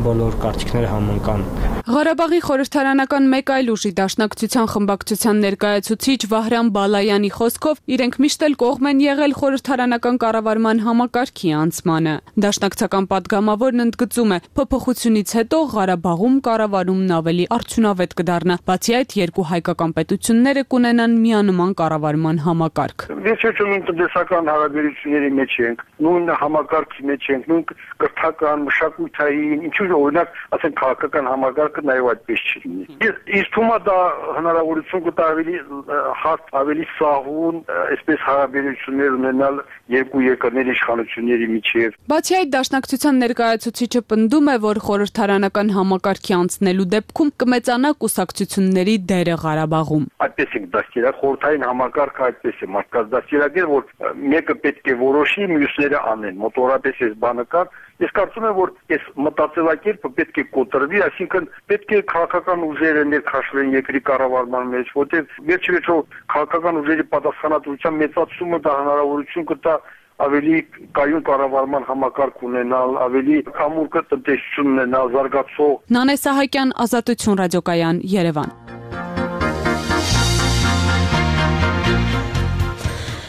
բոլոր կարծիքները համընկան։ Ղարաբաղի խորհրդարանական մեկ այլ ուժի Դաշնակցության խմբակցության ներկայացուցիչ Վահրամ Բալայանի խոսքով իրենք միշտ էլ կողմ են եղել խորհրդարանական կառավարման համակարգի անցմանը։ Դաշնակցական падգամավորն ընդգծում է, փոփոխությունից հետո Ղարաբաղում կառավարումն ավելի արդյունավետ կդառնա, բացի այդ երկու հայկական պետությունները կունենան միանման կառավարման համակարգ։ Վերջերս տնտեսական հարաբերությունների մեջ ենք, նույն համակարգի մեջ ենք, նույն կրթական, մշակութային, ինչու՞ օրինակ, ասենք քաղաքական համակարգը նաև այդպես չի լինի։ Իսկ թվում է դա հնարավորություն կտա ավելի հարթ, ավելի սահուն, այսպես հարաբերություններ ունենալ երկու երկրների իշխանությունների միջև։ Բացի այդ, Դաշնակցության ներկայացուցիչը պնդում է, որ խորհրդարանական համակարգի անցնելու դեպքում կմեծանա կուսակցությունների դերը Ղարաբաղում։ Այդպես է դաստիարակ, խորհրդային համակարգը այդպես է, մարդկაც դաստիարակել, որ մեկը պետք է որոշի, մյուսները անեն։ Մոտորապես այս բանը կա։ Ես կարծում եմ, որ այս մտածելակերպը պետք է կոտրվի, այսինքն պետք է քաղաքական ուժերը ներքաշվեն երկրի կառավարման մեջ, որտեղ վերջիվերջո քաղաքական ուժերի պատասխանատվության մեծացումը դա հնարավորություն կտա ավելի կայուն կառավարման համակարգ ունենալ, ավելի կամուր տնտեսություն ունենալ, զարգացող։ Նանե Սահակյան, Ազատություն ռադիոկայան, Երևան։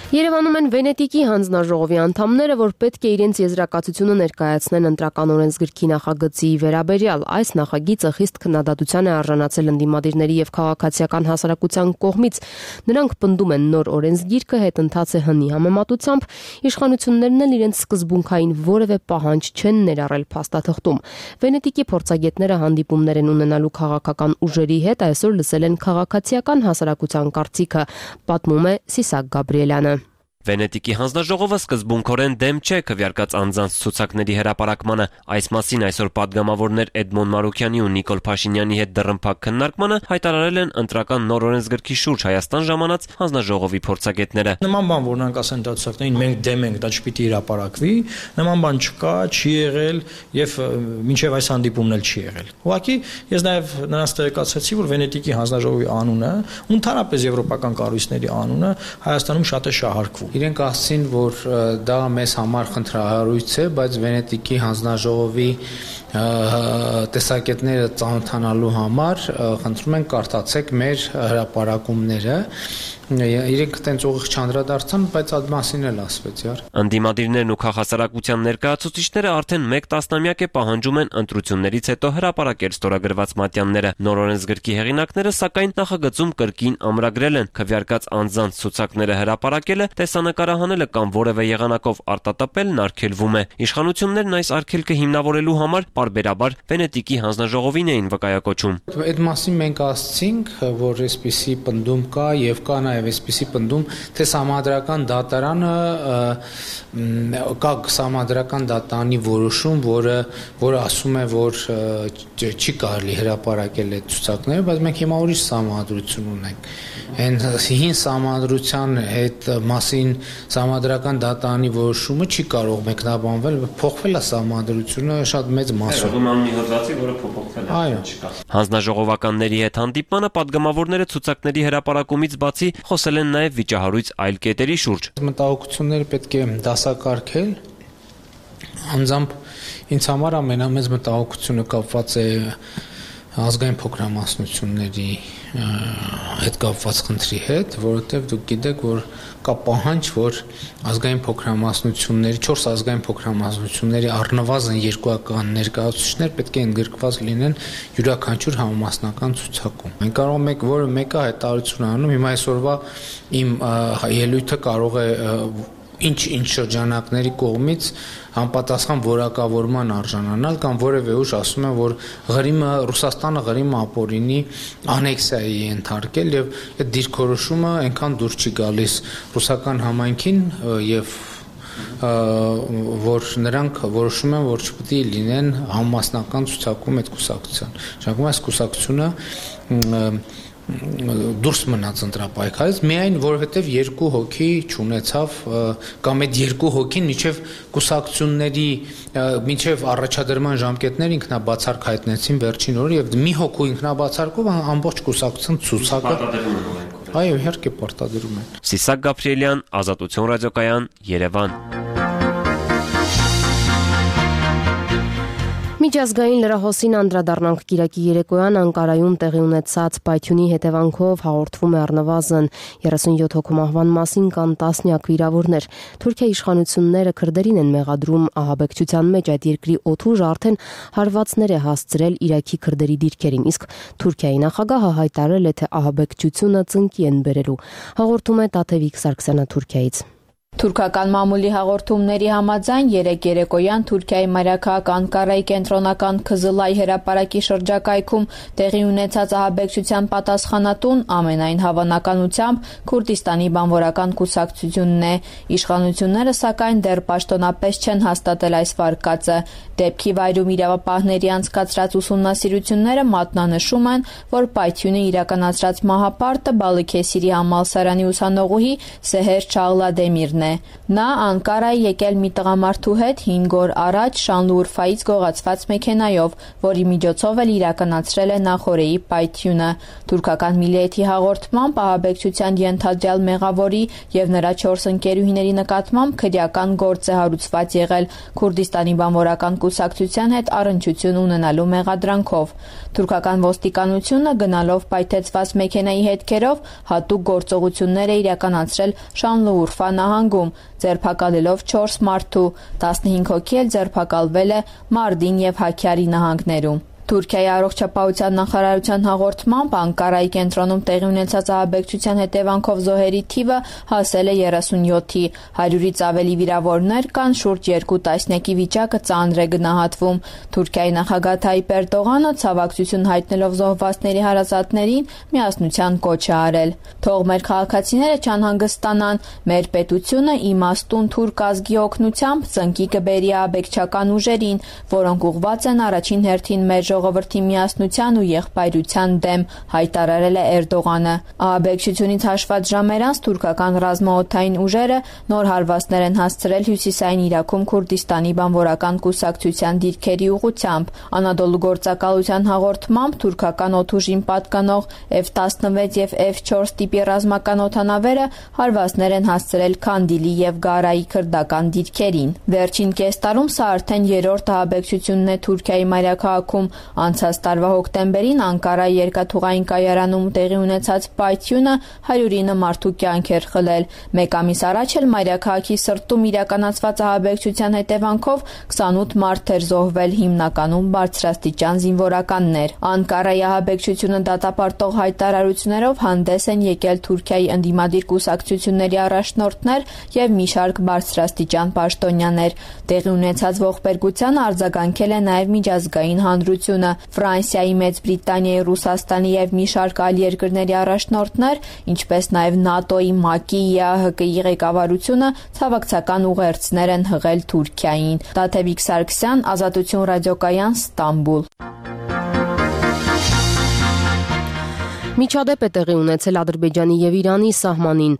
Երևանում են Վենետիկի հանձնաժողովի անդամները, որ պետք է իրենց եզրակացությունը ներկայացնեն ընտրական օրենսգրքի նախագծի վերաբերյալ։ Այս նախագիծը խիստ քննադատության է արժանացել ընդդիմադիրների եւ քաղաքացիական հասարակության կողմից։ Նրանք պնդում են նոր օրենսգիրքը հետընթաց է հնի համեմատությամբ, իշխանություններն էլ իրենց սկզբունքային որևէ պահանջ չեն ներառել փաստաթղթում։ Վենետիկի փորձագետները հանդիպումներ են ունենալու քաղաքական ուժերի հետ, այսօր լսել են քաղաքացիական հասարակության կարծիքը, պատմում է Սիսակ Գաբրիելյանը։ Վենետիկի հանձնաժողովը սկզբունքորեն դեմ չէ քվեարկած անձանց ցուցակների հրապարակմանը։ Այս մասին այսօր падգամավորներ Էդմոն Մարուկյանի ու Նիկոլ Փաշինյանի հետ դռնփակ քննարկմանը հայտարարել են ընտրական նոր օրենսգրքի շուրջ Հայաստան ժամանած հանձնաժողովի փորձագետները։ Նման բան, որ նրանք ասեն դա ցուցակներին մենք դեմ ենք, դա չպիտի հրապարակվի, նման բան չկա, չի եղել եւ մինչեւ այս հանդիպումն էլ չի եղել։ Ուղղակի ես նաեւ նրանց տեղեկացրեցի, որ Վենետիկի հանձնաժողովի անունը, ընդհանրապես եվրոպական կառույցների անունը Հայաստանում շատ է շահարկվում։ Իրենք ասցին, որ դա մեզ համար խնդրահարույց է, բայց Վենետիկի հանձնաժողովի տեսակետները ծանոթանալու համար խնդրում ենք կարդացեք մեր հրապարակումները։ Իրենք տենց ուղիղ չանդրադարձան, բայց այդ մասին էլ ասվեց, իհարկե։ Ընդդիմադիրներն ու քաղաքասարակության ներկայացուցիչները արդեն 1 տասնամյակ է պահանջում են ընտրություններից հետո հրապարակել ստորագրված մատյանները։ Նոր օրենսգրքի հեղինակները սակայն նախագծում կրկին ամրագրել են քվեարկած անձանց ցուցակները հրապարակելը, տեսանկարահանելը կամ որևէ եղանակով արտատապելն արգելվում է։ Իշխանություններն այս արգելքը հիմնավորելու համար պարբերաբար Վենետիկի հանձնաժողովին էին վկայակոչում։ Այդ մասին մենք ասացինք, որ այսպիսի պնդում կա եւ կա նաեւ այսպիսի պնդում, թե Սահմանադրական դատարանը կա Սահմանադրական դատարանի որոշում, որը ասում է, որ չի կարելի հրապարակել այդ ցուցակները, բայց մենք հիմա ուրիշ սահմանադրություն ունենք։ Այն հին սահմանադրության այդ մասին Սահմանադրական դատարանի որոշումը չի կարող մեկնաբանվել, փոխվել է սահմանադրությունը շատ մեծ մասով։ Այո։ Հանձնաժողովականների հետ հանդիպմանը падգամավորները ցուցակների հրապարակումից բացի խոսել են նաև վիճահարույց այլ կետերի շուրջ։ Մտահոգությունները պետք է դասակարգել։ Անձամբ ինձ համար ամենամեծ մտահոգությունը կապված է ազգային փոքրամասնությունների հետ կապված խնդրի հետ, որովհետև դուք գիտեք, որ կա պահանջ, որ ազգային փոքրամասնությունների 4 ազգային փոքրամասնությունների առնվազն 2 ներկայացուցիչներ պետք է ընդգրկված լինեն յուրաքանչյուր համամասնական ցուցակում։ Մենք կարող ենք որը մեկը հայտարարություն անում, հիմա այսօրվա իմ ելույթը կարող է ինչ շրջանակների կողմից համապատասխան որակավորման արժանանալ կամ որևէ ուժ ասում է, որ Ռուսաստանը Ղրիմը ապօրինի անեքսիայի է ենթարկել եւ այդ դիրքորոշումը այնքան դուր չի գալիս ռուսական համայնքին եւ որ նրանք որոշում են, որ չպետք է լինեն համամասնական ցուցակում այդ կուսակցության։ Շարունակում այս կուսակցությունը դուրս մնաց ընտրապայքարից միայն որովհետև 2 հոգի չունեցավ կամ այդ 2 հոգին միջև կուսակցությունների միջև առաջադրման ժամկետներ ինքնաբացարկ հայտնեցին վերջին օրը եւ մի հոգու ինքնաբացարկով ամբողջ կուսակցության ցուցակը այո իհարկե պարտադրում են։ Սիսակ Գաբրիելյան, Ազատություն ռադիոկայան, Երևան։ Միջազգային լրահոսին անդրադառնանք Կիրակի երեկոյան Անկարայում տեղի ունեցած պայթյունի հետևանքով հաղորդվում է առնվազն 37 հոգու մահվան մասին կան տասնյակ վիրավորներ։ Թուրքիայի իշխանությունները քրդերին են մեղադրում ահաբեկչության մեջ, այդ երկրի օդուժը արդեն հարվածներ է հասցրել Իրաքի քրդերի դիրքերին, իսկ Թուրքիայի նախագահը հայտարարել է, թե ահաբեկչությունը ծնկի են բերելու։ Հաղորդում է Տաթևիկ Սարգսյանը Թուրքիայից։ Թուրքական մամուլի հաղորդումների համաձայն երեկոյան Թուրքիայի մայրաքաղաք Անկարայի կենտրոնական Քզılay հրապարակի շրջակայքում տեղի ունեցած ահաբեկչության պատասխանատուն ամենայն հավանականությամբ Քուրդիստանի բանվորական կուսակցությունն է։ Իշխանությունները սակայն դեռ պաշտոնապես չեն հաստատել այս վարկածը։ Դեպքի վայրում իրավապահների անցկացրած ուսումնասիրությունները մատնանշում են, որ պայթյունը իրականացրած մահապարտը Բալիքեսիրի համալսարանի ուսանողուհի Սեհեր Չաղլադեմիրն է։ Նա Անկարայի եկել մի տղամարդու հետ 5 օր առաջ Շանլուրֆայից գողացված մեքենայով, որի միջոցով էլ իրականացրել է նախօրեի պայթյունը։ Թուրքական Միլիեթի հաղորդմամբ ահաբեկչության ենթադրյալ մեղավորի եւ նրա 4 ընկերուհիների նկատմամբ քրեական գործ է հարուցված եղել Քուրդիստանի բանվորական կուսակցության հետ առնչություն ունենալու մեղադրանքով։ Թուրքական ոստիկանությունը գնալով պայթեցված մեքենայի հետքերով հատուկ գործողություններ է իրականացրել Շանլուրֆա նահանգում, ձերբակալելով 4 մարդու, 15 հոգի էլ ձերբակալվել է Մարդին եւ Հաքյարի նահանգներում։ Թուրքիայի առողջապահության նախարարության հաղորդմամբ Անկարայի կենտրոնում տեղի ունեցած ահաբեկչության հետևանքով զոհերի թիվը հասել է 37-ի, 100-ից ավելի վիրավորներ կան, շուրջ 2 տասնյակի վիճակը ծանր է գնահատվում։ Թուրքիայի նախագահ Թայիպ Էրդողանը ցավակցություն հայտնելով զոհվածների հարազատներին միասնության կոչ է արել։ Թող մեր քաղաքացիները չանհանգստանան, մեր պետությունը իմաստուն թուրք ազգի օգնությամբ ծնկի կբերի ահաբեկչական ուժերին, որոնք ուղղված են առաջին հերթին մեր ժողովրդի միասնության ու եղբայրության դեմ, հայտարարել է Էրդողանը։ Ահաբեկչությունից հաշված ժամեր անց թուրքական ռազմաօդային ուժերը նոր հարվածներ են հասցրել հյուսիսային Իրաքում Քուրդիստանի բանվորական կուսակցության դիրքերի ուղղությամբ։ Անադոլու գործակալության հաղորդմամբ թուրքական օդուժին պատկանող F-16 եւ F-4 տիպի ռազմական օդանավերը հարվածներ են հասցրել Քանդիլի եւ Գարայի քրդական դիրքերին։ Վերջին կես տարում սա արդեն երրորդ ահաբեկչությունն է Թուրքիայի մայրաքաղաքում, Անցած տարվա հոկտեմբերին Անկարայի երկաթուղային կայարանում տեղի ունեցած պայթյունը 109 մարդու կյանք էր խլել։ Մեկ ամիս առաջ էլ մայրաքաղաքի սրտում իրականացված ահաբեկչության հետևանքով 28 մարդ էր զոհվել, հիմնականում բարձրաստիճան զինվորականներ։ Անկարայի ահաբեկչությունը դատապարտող հայտարարություններով հանդես են եկել Թուրքիայի ընդդիմադիր կուսակցությունների առաջնորդներ եւ մի շարք բարձրաստիճան պաշտոնյաներ։ Տեղի ունեցած ողբերգությանը արձագանքել է նաեւ միջազգային հանրությունը։ Ֆրանսիայի, Մեծ Բրիտանիայի, Ռուսաստանի եւ մի շարք այլ երկրների առաջնորդներ, ինչպես նաեւ ՆԱՏՕ-ի, ՄԱԿ-ի, ԵԱՀԿ-ի ղեկավարությունը ցավակցական ուղերձներ են հղել Թուրքիային։ Տաթևիկ Սարգսյան, Ազատություն ռադիոկայան, Ստամբուլ։ Միջադեպ է տեղի ունեցել Ադրբեջանի եւ Իրանի սահմանին։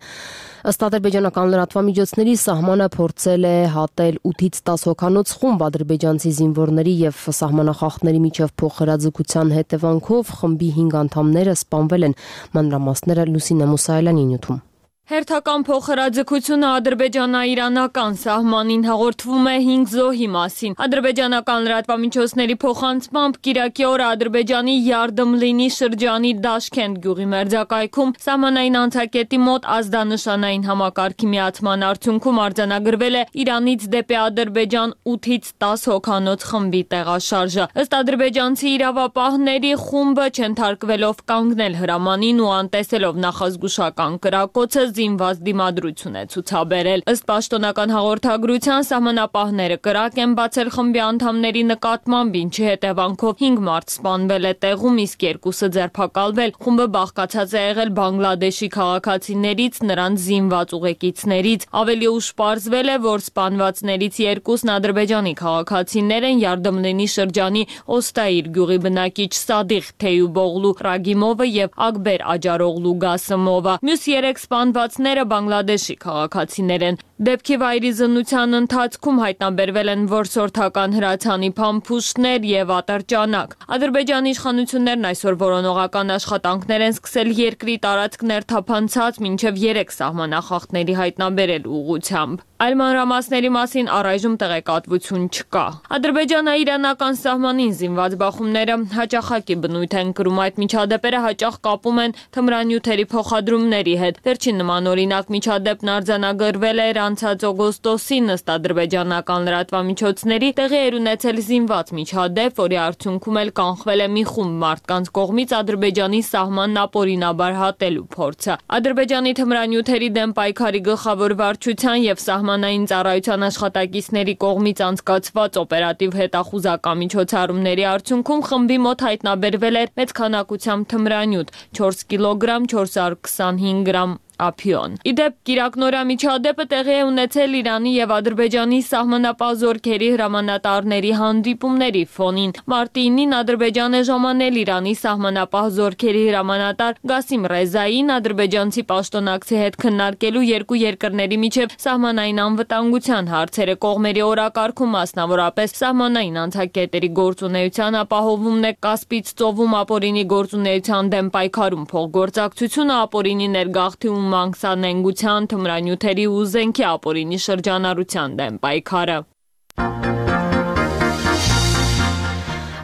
Ըստ ադրբեջանական լրատվամիջոցների սահմանը փորձել է հատել 8-ից 10 հոգանոց խումբ ադրբեջանցի զինվորների եւ սահմանախախտների միջև փոխհրաձգության հետևանքով խմբի 5 անդամները սպանվել են։ Մանրամասները Լուսինե Մուսայելյանի նյութում։ Հերթական փոխհրաձգությունը ադրբեջանա-իրանական սահմանին հաղորդվում է 5 զոհի մասին։ Ադրբեջանական լրատվամիջոցների փոխանցմամբ կիրակի օրը Ադրբեջանի Յարդմլինի շրջանի Դաշքենդ գյուղի մերձակայքում սահմանային անցակետի մոտ ազդանշանային համակարգի միացման արդյունքում արձանագրվել է Իրանից դեպի Ադրբեջան 8-ից 10 հոգանոց խմբի տեղաշարժը։ Ըստ ադրբեջանցի իրավապահների խումբը չընթարկվելով կանգնել հրամանին ու անտեսելով նախազգուշական կրակոցը զինված դիմադրություն է ցուցաբերել։ Ըստ պաշտոնական հաղորդագրության սահմանապահները կրակ են բացել խմբի անդամների նկատմամբ, ինչի հետևանքով 5 մարդ սպանվել է տեղում, իսկ 2-ը ձերբակալվել։ Խումբը բաղկացած է եղել Բանգլադեշի քաղաքացիներից, նրանց զինված ուղեկիցներից։ Ավելի ուշ պարզվել է, որ սպանվածներից 2-ն ադրբեջանի քաղաքացիներ են, Յարդմլինի շրջանի Օստայիր գյուղի բնակիչ Սադիղ Թեյուբօղլու Ռագիմովը եւ Ակբեր Աջարօղլու Գասմովը։ Մյուս 3 սպանվածները Բանգլադեշի քաղաքացիներ են։ Դեպքի վայրի զննության ընթացքում հայտնաբերվել են որսորդական հրացանի փամփուշտներ եւ ատրճանակ։ Ադրբեջանի իշխանություններն այսօր որոնողական աշխատանքներ են սկսել երկրի տարածքներ թափանցած մինչև 3 սահմանախախտների հայտնաբերելու ուղղությամբ։ Այլ մանրամասների մասին առայժմ տեղեկատվություն չկա։ Ադրբեջանա-իրանական սահմանին զինված բախումները հաճախակի բնույթ են կրում, այդ միջադեպերը հաճախ կապում են թմրանյութերի փոխադրումների հետ։ Վերջին նման օրինակ միջադեպն արձանագրվել էր անցած օգոստոսին, ըստ ադրբեջանական լրատվամիջոցների տեղի էր ունեցել զինված միջադեպ, որի արդյունքում էլ կանխվել է մի խումբ մարդկանց կողմից Ադրբեջանի սահմանն ապօրինաբար հատելու փորձը։ Ադրբեջանի թմրանյութերի դեմ պայքարի գլխավոր վարչության եւ սահմանային ծառայության աշխատակիցների կողմից անցկացված օպերատիվ հետախուզական միջոցառումների արդյունքում խմբի մոտ հայտնաբերվել էր մեծ քանակությամբ թմրանյութ՝ 4 կիլոգրամ 425 գրամ ափիոն։ Իդեպ կիրակնօրյա միջադեպը տեղի է ունեցել Իրանի եւ Ադրբեջանի սահմանապահ զորքերի հրամանատարների հանդիպումների ֆոնին։ Մարտի 9-ին Ադրբեջան է ժամանել Իրանի սահմանապահ զորքերի հրամանատար Գասիմ Ռեզային ադրբեջանցի պաշտոնակցի հետ քննարկելու երկու երկրների միջև սահմանային անվտանգության հարցերը։ Կողմերի օրակարգում մասնավորապես սահմանային անցակետերի գործունեության ապահովումն է, Կասպից ծովում ապօրինի գործունեության դեմ պայքարում փոխգործակցությունը, ապօրինի ներգաղթի մանկսանենգության, թմրանյութերի ու զենքի ապօրինի շրջանառության դեմ պայքարը։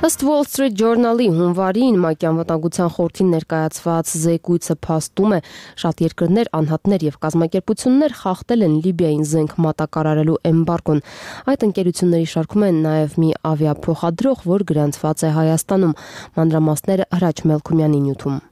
Ըստ Wall Street Journal-ի հունվարին ՄԱԿ-ի անվտանգության խորհրդին ներկայացված զեկույցը փաստում է, շատ երկրներ, անհատներ եւ կազմակերպություններ խախտել են Լիբիային զենք մատակարարելու էմբարգոն։ Այդ ընկերությունների շարքում են նաեւ մի ավիափոխադրող, որ գրանցված է Հայաստանում։ Մանրամասները Հրաչ Մելքումյանի նյութում։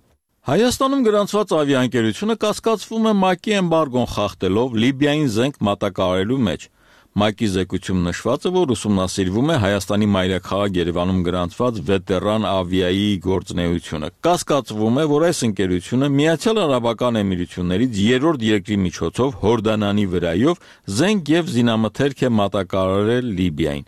Հայաստանում գրանցված ավիաընկերությունը կասկածվում է ՄԱԿ-ի էմբարգոն խախտելով Լիբիային զենք մատակարարելու մեջ։ ՄԱԿ-ի զեկույցում նշված է, որ ուսումնասիրվում է Հայաստանի մայրաքաղաք Երևանում գրանցված վետերան ավիայի գործունեությունը։ Կասկածվում է, որ այս ընկերությունը Միացյալ Արաբական Էմիրություններից երրորդ երկրի միջոցով Հորդանանի վրայով զենք եւ զինամթերք է մատակարարել Լիբիային։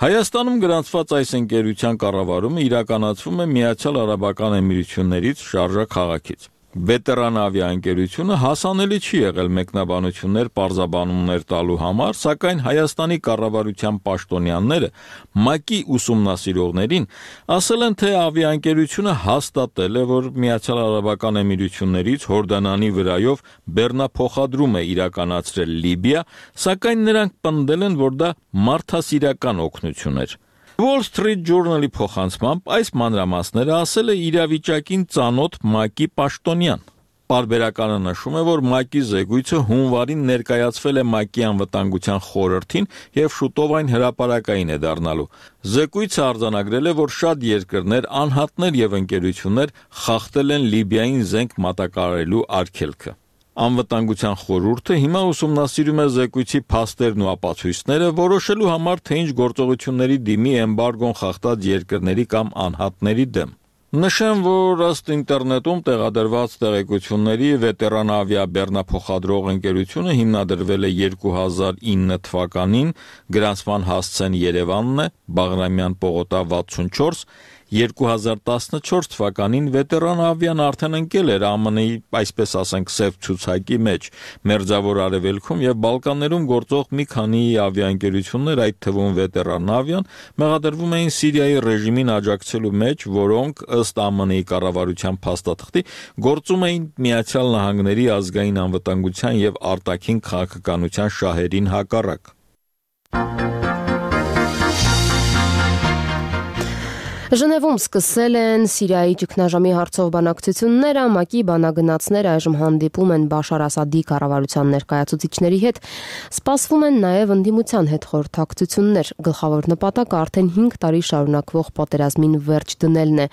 Հայաստանում գրանցված այս ընկերության կառավարումը իրականացվում է Միացյալ Արաբական Էմիրություններից Շարժա քաղաքից։ Վետերան ավիաընկերությունը հասանելի չի եղել մեկնաբանություններ պարզաբանումներ տալու համար, սակայն Հայաստանի կառավարության պաշտոնյաները ՄԱԿ-ի ուսումնասիրողներին ասել են, թե ավիաընկերությունը հաստատել է, որ Միացյալ Արաբական Էմիրություններից Հորդանանի վրայով բեռնափոխադրում է իրականացրել Լիբիա, սակայն նրանք պնդել են, որ դա մարդասիրական օգնություն էր։ Wall Street Journal-ի փոխանցմամբ այս մանրամասները ասել է իրավիճակին ծանոթ ՄԱԿ-ի պաշտոնյան։ Պարբերականը նշում է, որ ՄԱԿ-ի զեկույցը հունվարին ներկայացվել է ՄԱԿ-ի անվտանգության խորհրդին եւ շուտով այն հրապարակային է դառնալու։ Զեկույցը արձանագրել է, որ շատ երկրներ, անհատներ եւ ընկերություններ խախտել են Լիբիային զենք մատակարարելու արգելքը։ Անվտանգության խորհուրդը հիմա ուսումնասիրում է զեկույցի փաստերն ու ապացույցները, որոշելու համար, թե ինչ գործողությունների դիմի էմբարգոն խախտած երկրների կամ անհատների դեմ։ Նշեմ, որ ըստ ինտերնետում տեղադրված տեղեկությունների վետերանավիա բեռնափոխադրող ընկերությունը հիմնադրվել է 2009 թվականին, գրանցման հասցեն Երևանն է, Բաղրամյան պողոտա 64, 2014 թվականին վետերանավիան արդեն ընկել էր ԱՄՆ-ի, այսպես ասենք, սև ցուցակի մեջ, Մերձավոր Արևելքում եւ Բալկաններում գործող մի քանի ավիաընկերություններ, այդ թվում վետերանավիան, մեղադրվում էին Սիրիայի ռեժիմին աջակցելու մեջ, որոնք ըստ ԱՄՆ-ի կառավարության փաստաթղթի գործում էին Միացյալ Նահանգների ազգային անվտանգության եւ արտաքին քաղաքականության շահերին հակառակ։ Ժնևում սկսել են Սիրիայի ճգնաժամի հարցով բանակցությունները, ՄԱԿ-ի բանագնացները այժմ հանդիպում են Բաշար Ասադի կառավարության ներկայացուցիչների հետ, սպասվում են նաև ընդդիմության հետ խորհրդակցություններ, գլխավոր նպատակը արդեն 5 տարի շարունակվող պատերազմին վերջ դնելն է։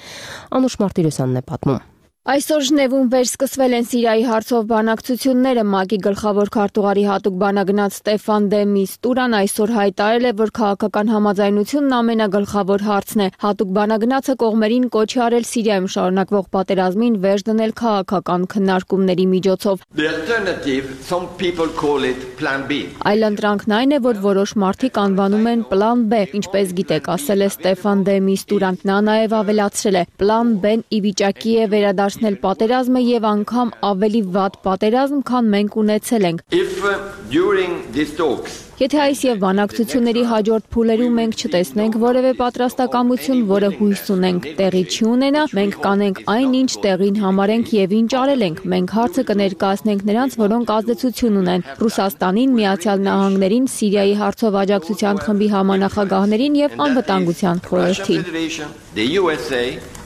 Անուշ Մարտիրոսյանն է պատմում։ Այսօր Ժնևում վերսկսվել են Սիրիայի հարցով բանակցությունները, ՄԱԿ-ի գլխավոր քարտուղարի հատուկ բանագնաց Ստեֆան դե Միստուրան այսօր հայտարարել է, որ քաղաքական համաձայնությունն ամենագլխավոր հարցն է։ Հատուկ բանագնացը կողմերին կոչ է արել Սիրիայում շարունակվող պատերազմին վերջ դնել քաղաքական քննարկումների միջոցով։ Այլընտրանքն այն է, որ որոշ մարդիկ անվանում են պլան B, ինչպես գիտեք, ասել է Ստեֆան դե Միստուրան։ Նա նաև ավելացրել է. պլան B-ն ի վիճակի է վերադարձնել պատերազմը եւ անգամ ավելի վատ պատերազմ, քան մենք ունեցել ենք։ Եթե այս եւ բանակցությունների հաջորդ փուլերում մենք չտեսնենք որևէ պատրաստակամություն, որը հույս ունենք տեղի չի ունենա, մենք կանենք այն, ինչ տեղին համարենք եւ ինչ արել ենք։ Մենք հարցը կներկայացնենք նրանց, որոնք ազդեցություն ունեն՝ Ռուսաստանին, Միացյալ Նահանգներին, Սիրիայի հարցով աջակցության խմբի համանախագահներին եւ անվտանգության խորհրդին։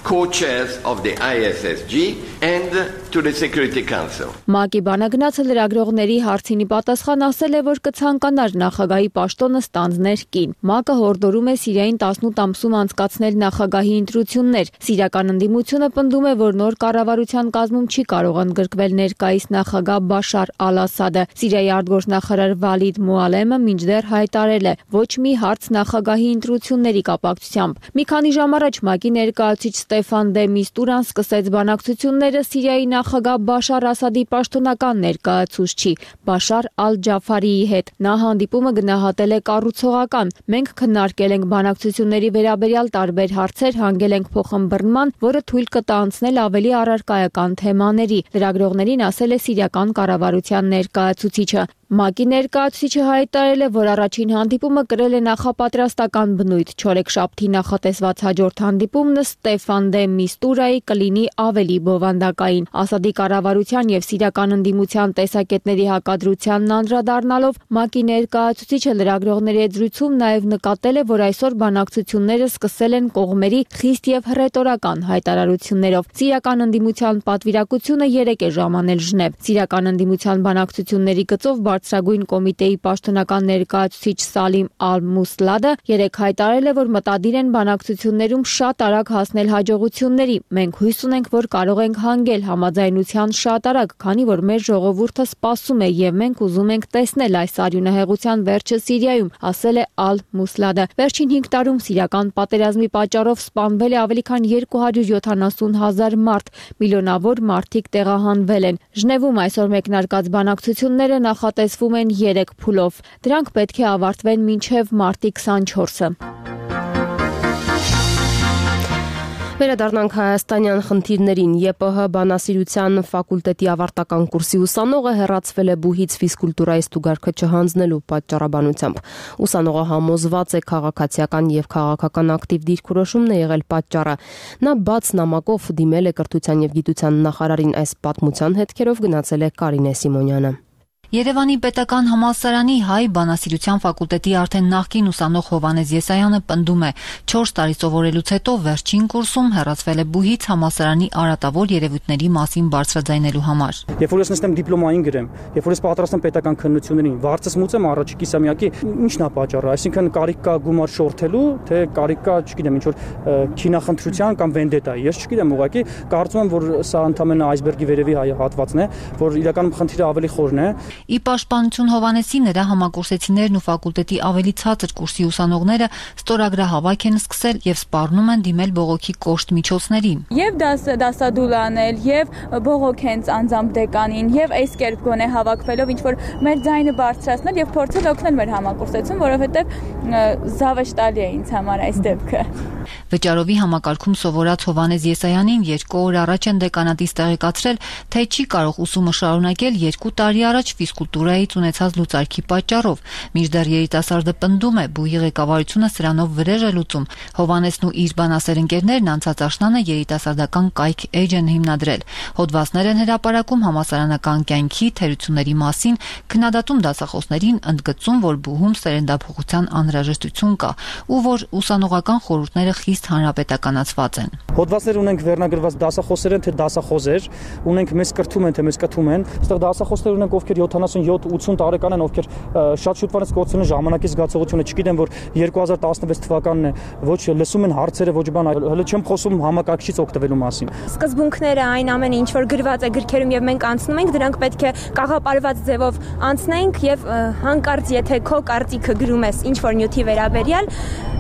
Co-chairs of the ISSG and to the Security Council. ՄԱԿ-ի բանագնացը լրագրողների հարցին պատասխան ասել է, որ կցանկանար նախագահի պաշտոնը ստանձներ կին։ ՄԱԿ-ը հորդորում է Սիրիային 18 ամսում անցկացնել նախագահի ընտրություններ։ Սիրիական ընդդիմությունը պնդում է, որ նոր կառավարության կազմում չի կարող ընդգրկվել ներկայիս նախագահ Բաշար Ալ-Ասադը։ Սիրիայի արտգործնախարար Վալիդ Մուալեմը մինչդեռ հայտարարել է, ոչ մի հարց նախագահի ընտրությունների կապակցությամբ։ Մի քանի ժամ առաջ ՄԱԿ-ի ներկայացուցիչ Ստեֆան դե Միստուրան սկսեց բանակցությունները Սիրիայի նախագահ Բաշար Ասադի պաշտոնական ներկայացուցչի Բաշար Ալ-Ջաֆարիի հետ։ Նա հանդիպումը գնահատել է կառուցողական։ Մենք քննարկել ենք բանակցությունների վերաբերյալ տարբեր հարցեր, հանգել ենք փոխըմբռնման, որը թույլ կտա անցնել ավելի առարկայական թեմաների։ Լրագրողներին ասել է սիրիական կառավարության ներկայացուցիչը։ ՄԱԿ-ի ներկայացուցիչը հայտարարել է, որ առաջին հանդիպումը կրել է նախապատրաստական բնույթ։ Չորեքշաբթի նախատեսված հաջորդ հանդիպումն Ստեֆան դե Միստուրայի կլինի ավելի բովանդակային։ Ասադի կառավարության եւ սիրիական ընդդիմության տեսակետների հակադրությանն անդրադառնալով ՄԱԿ-ի ներկայացուցիչը լրագրողների հետ զրույցում նաեւ նկատել է, որ այսօր բանակցությունները սկսել են կողմերի խիստ եւ հռետորական հայտարարություններով։ Սիրիական ընդդիմության պատվիրակությունը 3 է ժամանել Ժնև։ Սիրիական ընդդիմության բանակցությունների գծով Բարձրագույն կոմիտեի պաշտոնական ներկայացուցիչ Սալիմ Ալ-Մուսլադը 3 հայտարարել է, որ մտադիր են բանակցություններում շատ արագ հասնել հաջողությունների։ Մենք հույս ունենք, որ կարող ենք հանգել համաձայնության շատ արագ, քանի որ մեր ժողովուրդը սպասում է եւ մենք ուզում ենք տեսնել այս արյունահեղության վերջը Սիրիայում, ասել է Ալ-Մուսլադը։ Վերջին 5 տարում սիրիական պատերազմի պատճառով սպանվել է ավելի քան 270,000 մարդ, միլիոնավոր մարդիկ տեղահանվել են։ Ժնևում այսօր մեկնարկած բանակցությունները նախատեսվում են 3 փուլով։ Դրանք պետք է ավարտվեն մինչև մարտի 24-ը։ Վերադառնանք հայաստանյան խնդիրներին։ ԵՊՀ բանասիրության ֆակուլտետի ավարտական կուրսի ուսանողը հեռացվել է բուհից ֆիզկուլտուրայի ստուգարքը չհանձնելու պատճառաբանությամբ։ Ուսանողը համոզված է քաղաքացիական եւ քաղաքական ակտիվ դիրքորոշումն է եղել պատճառը։ Նա բաց նամակով դիմել է կրթության եւ գիտության նախարարին։ Այս պատմության հետքերով գնացել է Կարինե Սիմոնյանը։ Երևանի պետական համալսարանի հայ բանասիրության ֆակուլտետի արդեն նախկին ուսանող Հովհաննես Եսայանը պնդում է, 4 տարի սովորելուց հետո վերջին կուրսում հեռացվել է բուհից համալսարանի արատավոր երևույթների մասին բարձրաձայնելու համար։ Երբ որ ես նստեմ դիպլոմային գրեմ, երբ որ ես պատրաստեմ պետական քննություններին, վարձս մուծեմ առաջի կիսամյակի, ի՞նչն է պատճառը, այսինքն կարիք կա գումար շորթելու, թե կարիք կա, չգիտեմ, ինչ որ քինախնդրության կամ վենդետայի։ Ես չգիտեմ, ուղղակի կարծում եմ, որ սա ընդամենը այսբերգի վերևի հատվածն է, որ իրականում խնդիրը ավելի խորն է։ Ի պաշտպանություն Հովհաննեսի նրա համակուրսեցիներն ու ֆակուլտետի ավելի ցածր կուրսի ուսանողները ստորագրահավաք են սկսել եւ սպառնում են դիմել բողոքի կոշտ միջոցների։ Եվ դասադուլ անել, եւ բողոք հենց անձամբ դեկանին, եւ այս կերպ գոնե հավաքվելով ինչ որ մեր ձայնը բարձրացնել եւ փորձել օգնել մեր համակուրսեցուն, որովհետեւ զավեշտալի է ինձ համար այս դեպքը։ Վճարովի համակարգում սովորած Հովհաննես Եսայանին 2 օր առաջ են դեկանատից տեղեկացրել, թե չի կարող ուսումը շարունակել 2 տարի առաջ ֆիզկուլտուրայից ունեցած լուծարքի պատճառով։ Մինչդեռ երիտասարդը պնդում է, բուհի ղեկավարությունը սրանով վրեժ է լուծում։ Հովհաննեսն ու իր բանասեր ընկերներն անցած աշնանը երիտասարդական կայք էջ են հիմնադրել։ Հոդվածներ են հրապարակում համալսարանական կյանքի թերությունների մասին, քննադատում դասախոսներին, ընդգծում, որ բուհում սերնդափոխության անհրաժեշտություն կա ու որ ուսանողական խորհուրդները խիստ հանրապետականացված են։ Հոդվածներ ունենք վերնագրված դասախոսեր են, թե դասախոզեր, ունենք մեզ կրթում են, թե մեզ կթում են։ Այստեղ դասախոսներ ունենք, ովքեր 77-80 տարեկան են, ովքեր շատ շուտվանից գործել են ժամանակի զգացողությունը, չգիտեմ, որ 2016 թվականն է, ոչ լսում են հարցերը, ոչ բան, հələ չեմ խոսում համակարգչից օգտվելու մասին։ Սկզբունքները այն ամենը, ինչ որ գրված է գրքերում եւ մենք անցնում ենք, դրանք պետք է կաղապարված ձևով անցնենք եւ հանկարծ եթե քո կարծիքը գրում ես ինչ որ նյութի վերաբերյալ,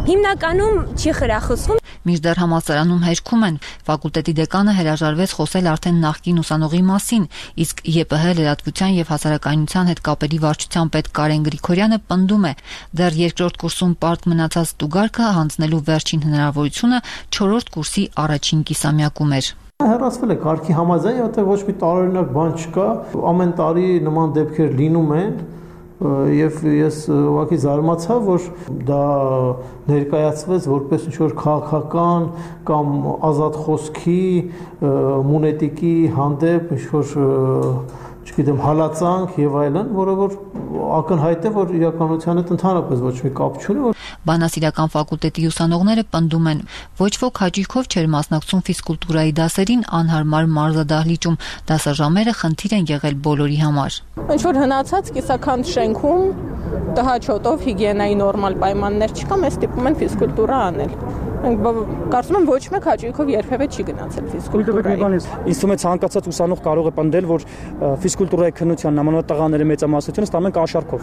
հիմնականում չի խրախուսվում։ Մինչդեռ համալսարանում հերքում են, ֆակուլտետի դեկանը հրաժարվեց խոսել արդեն նախկին ուսանողի մասին, իսկ ԵՊՀ լրատվության եւ հասարակայնության հետ կապերի վարչության պետ Կարեն Գրիգորյանը պնդում է, դեռ երկրորդ կուրսում պարտ մնացած ստուգարքը հանձնելու վերջին հնարավորությունը 4-րդ կուրսի առաջին կիսամյակում էր։ Հեռացվել է կարգի համաձայն, որտեղ ոչ մի տարօրինակ բան չկա, ամեն տարի նման դեպքեր լինում են։ Եվ ես ուղղակի զարմացա, որ դա ներկայացվեց որպես ինչ-որ քաղաքական կամ ազատ խոսքի, մունետիկի հանդեպ ինչ-որ, չգիտեմ, հալածանք եւ այլն, որը որ ակնհայտ է, որ իրականության հետ ընդհանրապես ոչ մի կապ չունի։ Բանասիրական ֆակուլտետի ուսանողները պնդում են, ոչ ոք հաճույքով չէր մասնակցում ֆիզկուլտուրայի դասերին անհարմար մարզադահլիճում, դասաժամերը խնդիր են եղել բոլորի համար։ Ինչ որ հնացած կիսաքանդ շենքում տհաճոտով հիգիենայի նորմալ պայմաններ չկա, մեզ ստիպում են ֆիզկուլտուրա անել։ Կարծում եմ ոչ մեկ հաճույքով երբևէ չի գնացել ֆիզկուլտուրայի։ Ինձ թվում է ցանկացած ուսանող կարող է պնդել, որ ֆիզկուլտուրայի քննության նամանավանդ տղաների մեծամասնությունը ստանում են կաշառքով։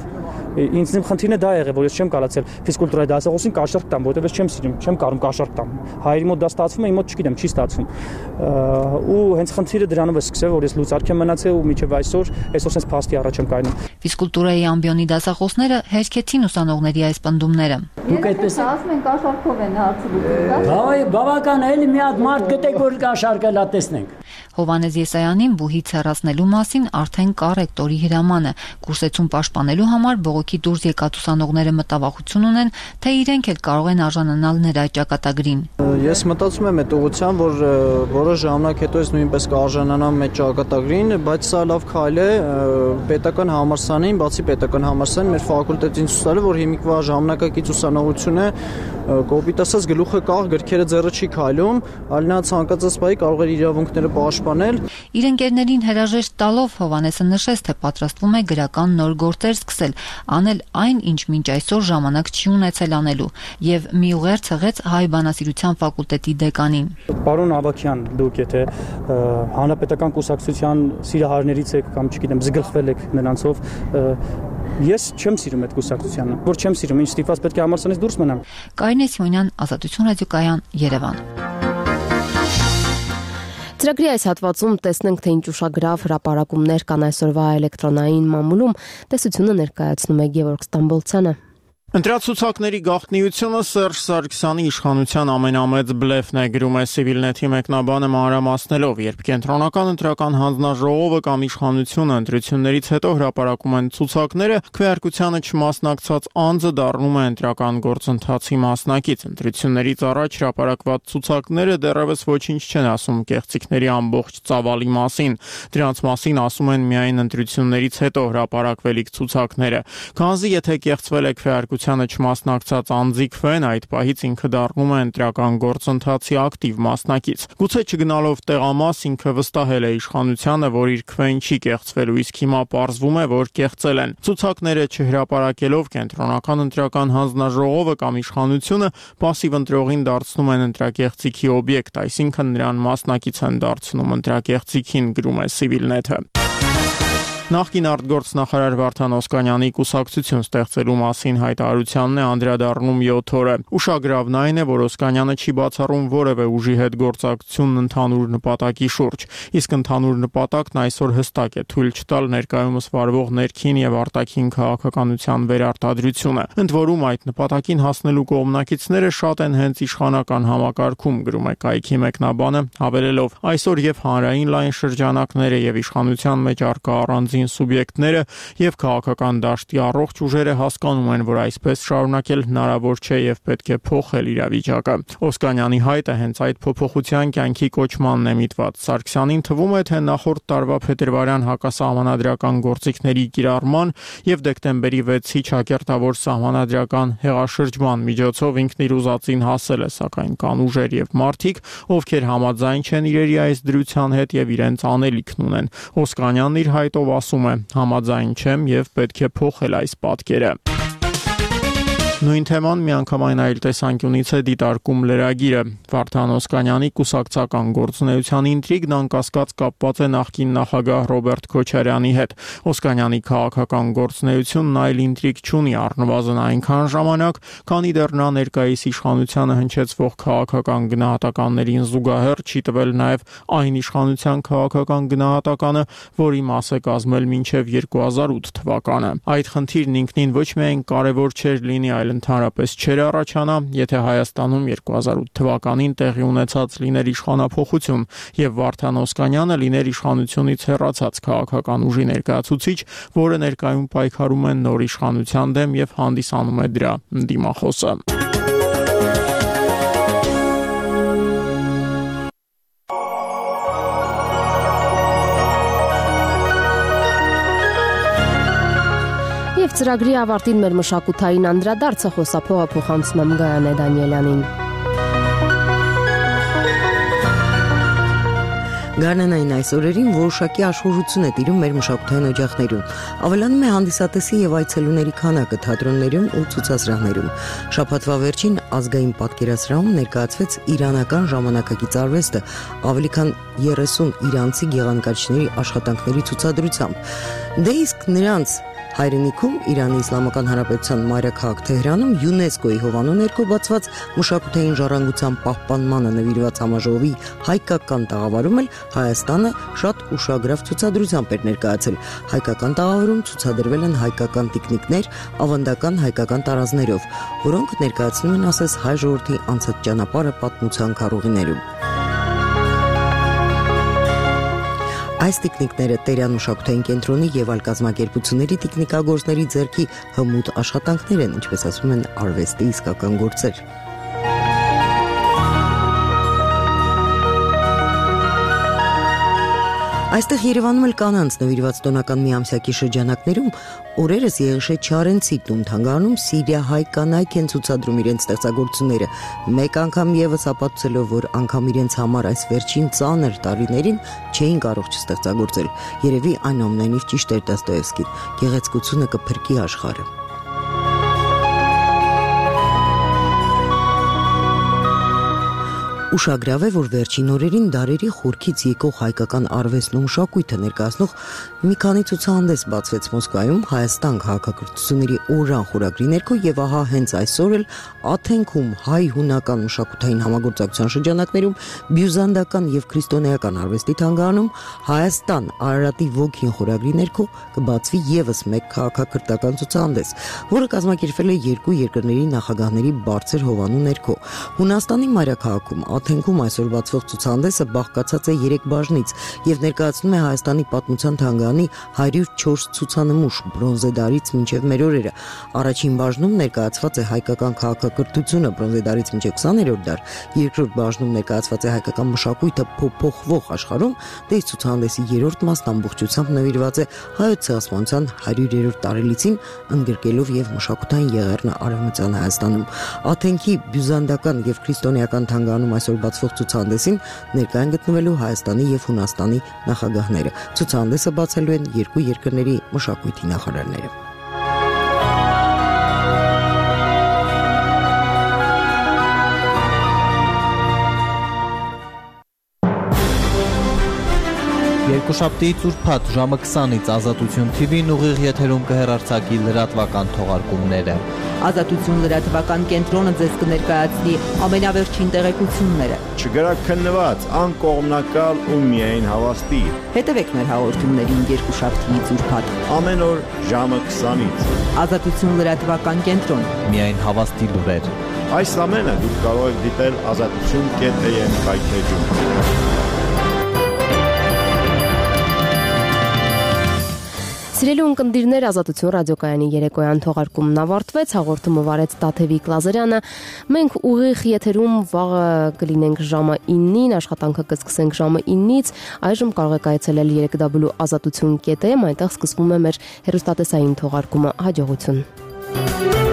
Ինձ իմ խնդիրն է դա եղել, որ ես չեմ կարողացել ֆիզկուլտուրայի դասախոսին կաշառք տամ, որովհետև ես չեմ սիրում, չեմ կարող կաշառք տամ։ Հայերի մոտ դա ստացվում է, իմ մոտ չգիտեմ, չի ստացվում։ Ու հենց խնդիրը դրանով է սկսել, որ ես լուծարք եմ մնացել ու մինչև այսօր sense փաստի առաջ եմ կայնում։ Ֆիզկուլտուրայի ամբիոնի դասախոսները հերքեցին ուսանողների այս պնդումները։ Դուք այդպես ասում են կաշառքով են հարցը Բավական էլի մի հատ մարդ գտեք, որ կաշառքը լա տեսնենք։ Հովհաննես Եսայանին բուհից հեռացնելու մասին արդեն կա ռեկտորի հրամանը։ Կուրսեցում պաշտպանելու համար բողոքի դուրս եկած ուսանողները մտավախություն ունեն, թե իրենք էլ կարող են արժանանալ նրա ճակատագրին։ Ես մտածում եմ այդ ուղղությամբ, որ որոշ ժամանակ հետո ես նույնպես կարժանանամ այդ ճակատագրին, բայց սա լավ քայլ է պետական համալսարանին, բացի պետական համալսարանին մեր ֆակուլտետին ցույց տալու, որ հիմիկվա ժամանակակից ուսանողությունը կոպիտ ասած գլուխը կաղ գրքերը ձեռը չի քայլում, այլ նա ցանկացած բայի կարող է իրավունքները պաշտպանել։ Իր ընկերներին հրաժեշտ տալով Հովհաննեսը նշեց, թե պատրաստվում է գրական նոր գործեր սկսել, անել այն, ինչ մինչ այսօր ժամանակ չի ունեցել անելու, եւ մի ուղեր ցղեց հայ բանասիրության ֆակուլտետի դեկանին։ Պարոն Ավակյան, դուք եթե հանրապետական կուսակցության սիրահարներից եք կամ չգիտեմ զգլխվել եք նրանցով, ես չեմ սիրում այդ կուսակցությանը, որ չեմ սիրում, ինչ ստիպված պետք է համալսարանից դուրս մնամ։ Կարինե Սիմոնյան, Ազատություն ռադիոկայան, Երևան։ Ծրագրի այս հատվածում տեսնենք, թե ինչ ուշագրավ հրապարակումներ կան այսօրվա էլեկտրոնային մամուլում։ Տեսությունը ներկայացնում է Գևորգ Ստամբոլցյանը։ Ընտրացուցակների գաղտնիությունը Սերժ Սարգսյանի իշխանության ամենամեծ բլեֆն է, գրում է Civilnet-ի մեկնաբանը մանրամասնելով, երբ կենտրոնական ընտրական հանձնաժողովը կամ իշխանությունը ընտրություններից հետո հրապարակում են ցուցակները, քվեարկությանը չմասնակցած անձը դառնում է ընտրական գործընթացի մասնակից։ Ընտրություններից առաջ հրապարակված ցուցակները դեռևս ոչինչ չեն ասում կեղծիքների ամբողջ ծավալի մասին։ Դրանց մասին ասում են միայն ընտրություններից հետո հրապարակվելիք ցուցակները։ Քանզի եթե կեղծվել է քվեարկության չմասնակցած անձի քվեն, այդ պահից ինքը դառնում է ընտրական գործընթացի ակտիվ մասնակից։ Գուցե չգնալով տեղամաս ինքը վստահել է իշխանությանը, որ իր քվեն չի կեղծվելու, իսկ հիմա պարզվում է, որ կեղծել են։ Ցուցակները չհրապարակելով կենտրոնական ընտրական հանձնաժողովը կամ իշխանությունը պասիվ ընտրողին դարձնում են ընտրակեղծիքի օբյեկտ, այսինքն նրան մասնակից են դարձնում ընտրակեղծիքին, գրում է Civilnet-ը։ Նախկին արտգործնախարար Վարդան Օսկանյանի կուսակցություն ստեղծելու մասին հայտարարությանն է անդրադառնում 7 օրը։ Ուշագրավն այն է, որ Օսկանյանը չի բացառում որևէ ուժի հետ գործակցությունն ընդհանուր նպատակի շուրջ, իսկ ընդհանուր նպատակն այսօր հստակ է՝ թույլ չտալ ներկայումս վարվող ներքին եւ արտաքին քաղաքականության վերարտադրությունը։ Ընդ որում այդ նպատակին հասնելու կողմնակիցները շատ են հենց իշխանական համակարգում, գրում է կայքի մեկնաբանը, հավելելով. այսօր եւ հանրային լայն շրջանակները եւ իշխանության մեջ առկա առանձին սուբյեկտները եւ քաղաքական դաշտի առողջ ուժերը հասկանում են, որ այսպես շարունակել հնարավոր չէ եւ պետք է փոխել իրավիճակը։ Օսկանյանի հայտը հենց այդ փոփոխության կյանքի կոչմանն է միտված։ Սարգսյանին թվում է, թե նախորդ տարվա փետրվարյան հակասահմանադրական գործիքների կիրառման եւ դեկտեմբերի 6-ի ճակերտավոր սահմանադրական հեղաշրջման միջոցով ինքն իր ուզածին հասել է, սակայն կան ուժեր եւ մարդիկ, ովքեր համաձայն չեն իրերի այս դրության հետ եւ իրենց անելիքն ունեն։ Օսկանյանն իր հայտով ասում է. համաձայն չեմ եւ պետք է փոխել այս պատկերը։ Նույն թեման միանգամայն այլ տեսանկյունից է դիտարկում լրագիրը։ Վարդան Օսկանյանի կուսակցական գործունեության ինտրիգն անկասկած կապված է նախկին նախագահ Ռոբերտ Քոչարյանի հետ։ Օսկանյանի քաղաքական գործունեությունն այլ ինտրիգ չունի, առնվազն այնքան ժամանակ, քանի դեռ նա ներկայիս իշխանությանը հնչեցվող քաղաքական գնահատականներին զուգահեռ չի տվել նաև այն իշխանության քաղաքական գնահատականը, որի մաս է կազմել մինչև 2008 թվականը։ Այդ խնդիրն ինքնին ոչ միայն կարևոր չէր լինի, այլ ընդհանրապես չէր առաջանա, եթե Հայաստանում 2008 թվականին տեղի ունեցած լիներ իշխանափոխություն եւ Վարդան Օսկանյանը լիներ իշխանությունից հեռացած քաղաքական ուժի ներկայացուցիչ, որը ներկայում պայքարում է նոր իշխանության դեմ եւ հանդիսանում է դրա դիմախոսը։ Եվ ծրագրի ավարտին մեր մշակութային անդրադարձը խոսափողը փոխանցում եմ Գայանե Դանիելյանին։ Գարնանային այս օրերին որոշակի աշխուժություն է տիրում մեր մշակութային օջախներում։ Ավելանում է հանդիսատեսի եւ այցելուների քանակը թատրոններում ու ցուցասրահներում։ Շաբաթվա վերջին ազգային պատկերասրահում ներկայացվեց իրանական ժամանակակից արվեստը ավելի քան 30 իրանցի գեղանկարիչների աշխատանքների ցուցադրությամբ։ Դե իսկ նրանց հայրենիքում Իրանի Իսլամական Հանրապետության մայրաքաղաք Թեհրանում ՅՈՒՆԵՍԿՕ-ի հովանու ներքո բացված մշակութային ժառանգության պահպանմանը նվիրված համաժողովի հայկական տաղավարում էլ Հայաստանը շատ ուշագրավ ցուցադրությամբ էր ներկայացել։ Հայկական տաղավարում ցուցադրվել են հայկական տիկնիկներ ավանդական հայկական տարազներով, որոնք ներկայացնում են ասես հայ ժողովրդի անցած ճանապարհը պատմության քառուղիներում։ Այս տիկնիկները Տերյան մշակութային կենտրոնի եւ այլ կազմակերպությունների տիկնիկագործների ձեռքի հմուտ աշխատանքներ են, ինչպես ասում են, արվեստի իսկական գործեր։ Այստեղ Երևանում էլ կանանց նվիրված տոնական միամսյակի շրջանակներում օրերս Եղիշե Չարենցի տուն թանգարանում սիրիահայ կանայք են ցուցադրում իրենց ստեղծագործությունները, մեկ անգամ եւս ապացուցելով, որ անգամ իրենց համար այս վերջին ծանր տարիներին չէին կարող չստեղծագործել։ Երևի այնուամենայնիվ ճիշտ էր Դոստոևսկին. գեղեցկությունը կփրկի աշխարհը։ Ուշագրավ է, որ վերջին օրերին դարերի խորքից եկող հայկական արվեստն ու մշակույթը ներկայացնող մի քանի ցուցահանդես բացվեց Մոսկվայում Հայաստան քաղաքակրթությունների օրրան խորագրի ներքո եւ ահա հենց այսօր էլ Աթենքում հայ-հունական մշակութային համագործակցության շրջանակներում բյուզանդական եւ քրիստոնեական արվեստի թանգարանում Հայաստան Արարատի ոգին խորագրի ներքո կբացվի եւս մեկ քաղաքակրթական ցուցահանդես, որը կազմակերպվել է երկու երկրների նախագահների բարձր հովանու ներքո։ Հունաստանի մայրաքաղաքում Աթենքում այսօր բացվող ցուցահանդեսը բաղկացած է 3 բաժնից եւ ներկայացնում է Հայաստանի պատմության թանգարանի 104 ցուցանմուշ բրոնզե դարից մինչեւ մեր օրերը։ Առաջին բաժնում ներկայացված է հայկական քաղաքակրթությունը բրոնզե դարից մինչեւ 20-րդ դար, երկրորդ բաժնում ներկայացված է հայկական մշակույթը փոփոխվող աշխարհում, դες ցուցահանդեսի 3-րդ մասն ամբողջությամբ նվիրված է հայոց ցեղասպանության 100-րդ տարելիցին, ընդգրկելով եւ մշակութային եղեռնը Արևմտյան Հայաստանում։ Աթենքի բյուզանդական եւ քրիստոնեական թանգարանում այսօր բացվող ցուցահանդեսին ներկայ են գտնվելու Հայաստանի եւ Հունաստանի նախագահները։ Ցուցահանդեսը բացելու են երկու երկրների մշակույթի նախարարները։ Երկուշաբթի ծուրփաթ ժամը 20-ից Ազատություն TV-ն ուղիղ եթերում կհեռարձակի լրատվական թողարկումները։ Ազատություն լրատվական կենտրոնը ձեզ կներկայացնի ամենավերջին տեղեկությունները։ Չգրաքննված, անկողմնակալ ու միայն հավաստի։ Հետևեք մեր հաղորդումներին երկուշաբթի ծուրփաթ ամեն օր ժամը 20-ից։ Ազատություն լրատվական կենտրոն։ Միայն հավաստի լուրեր։ Այս ամենը դուք կարող եք դիտել azatutun.am կայքեջում։ Սիրելի ունկնդիրներ, Ազատություն ռադիոկայանի երեկոյան թողարկումն ավարտվեց, հաղորդումը վարեց Տաթևիկ Լազարյանը։ Մենք ուղիղ եթերում վաղը կլինենք ժամը 9-ին, աշխատանքը կսկսենք ժամը 9-ից, այժմ կարող եք այցելել www.azatutun.am, այնտեղ սկսվում է մեր հեռուստատեսային թողարկումը։ Հաջողություն։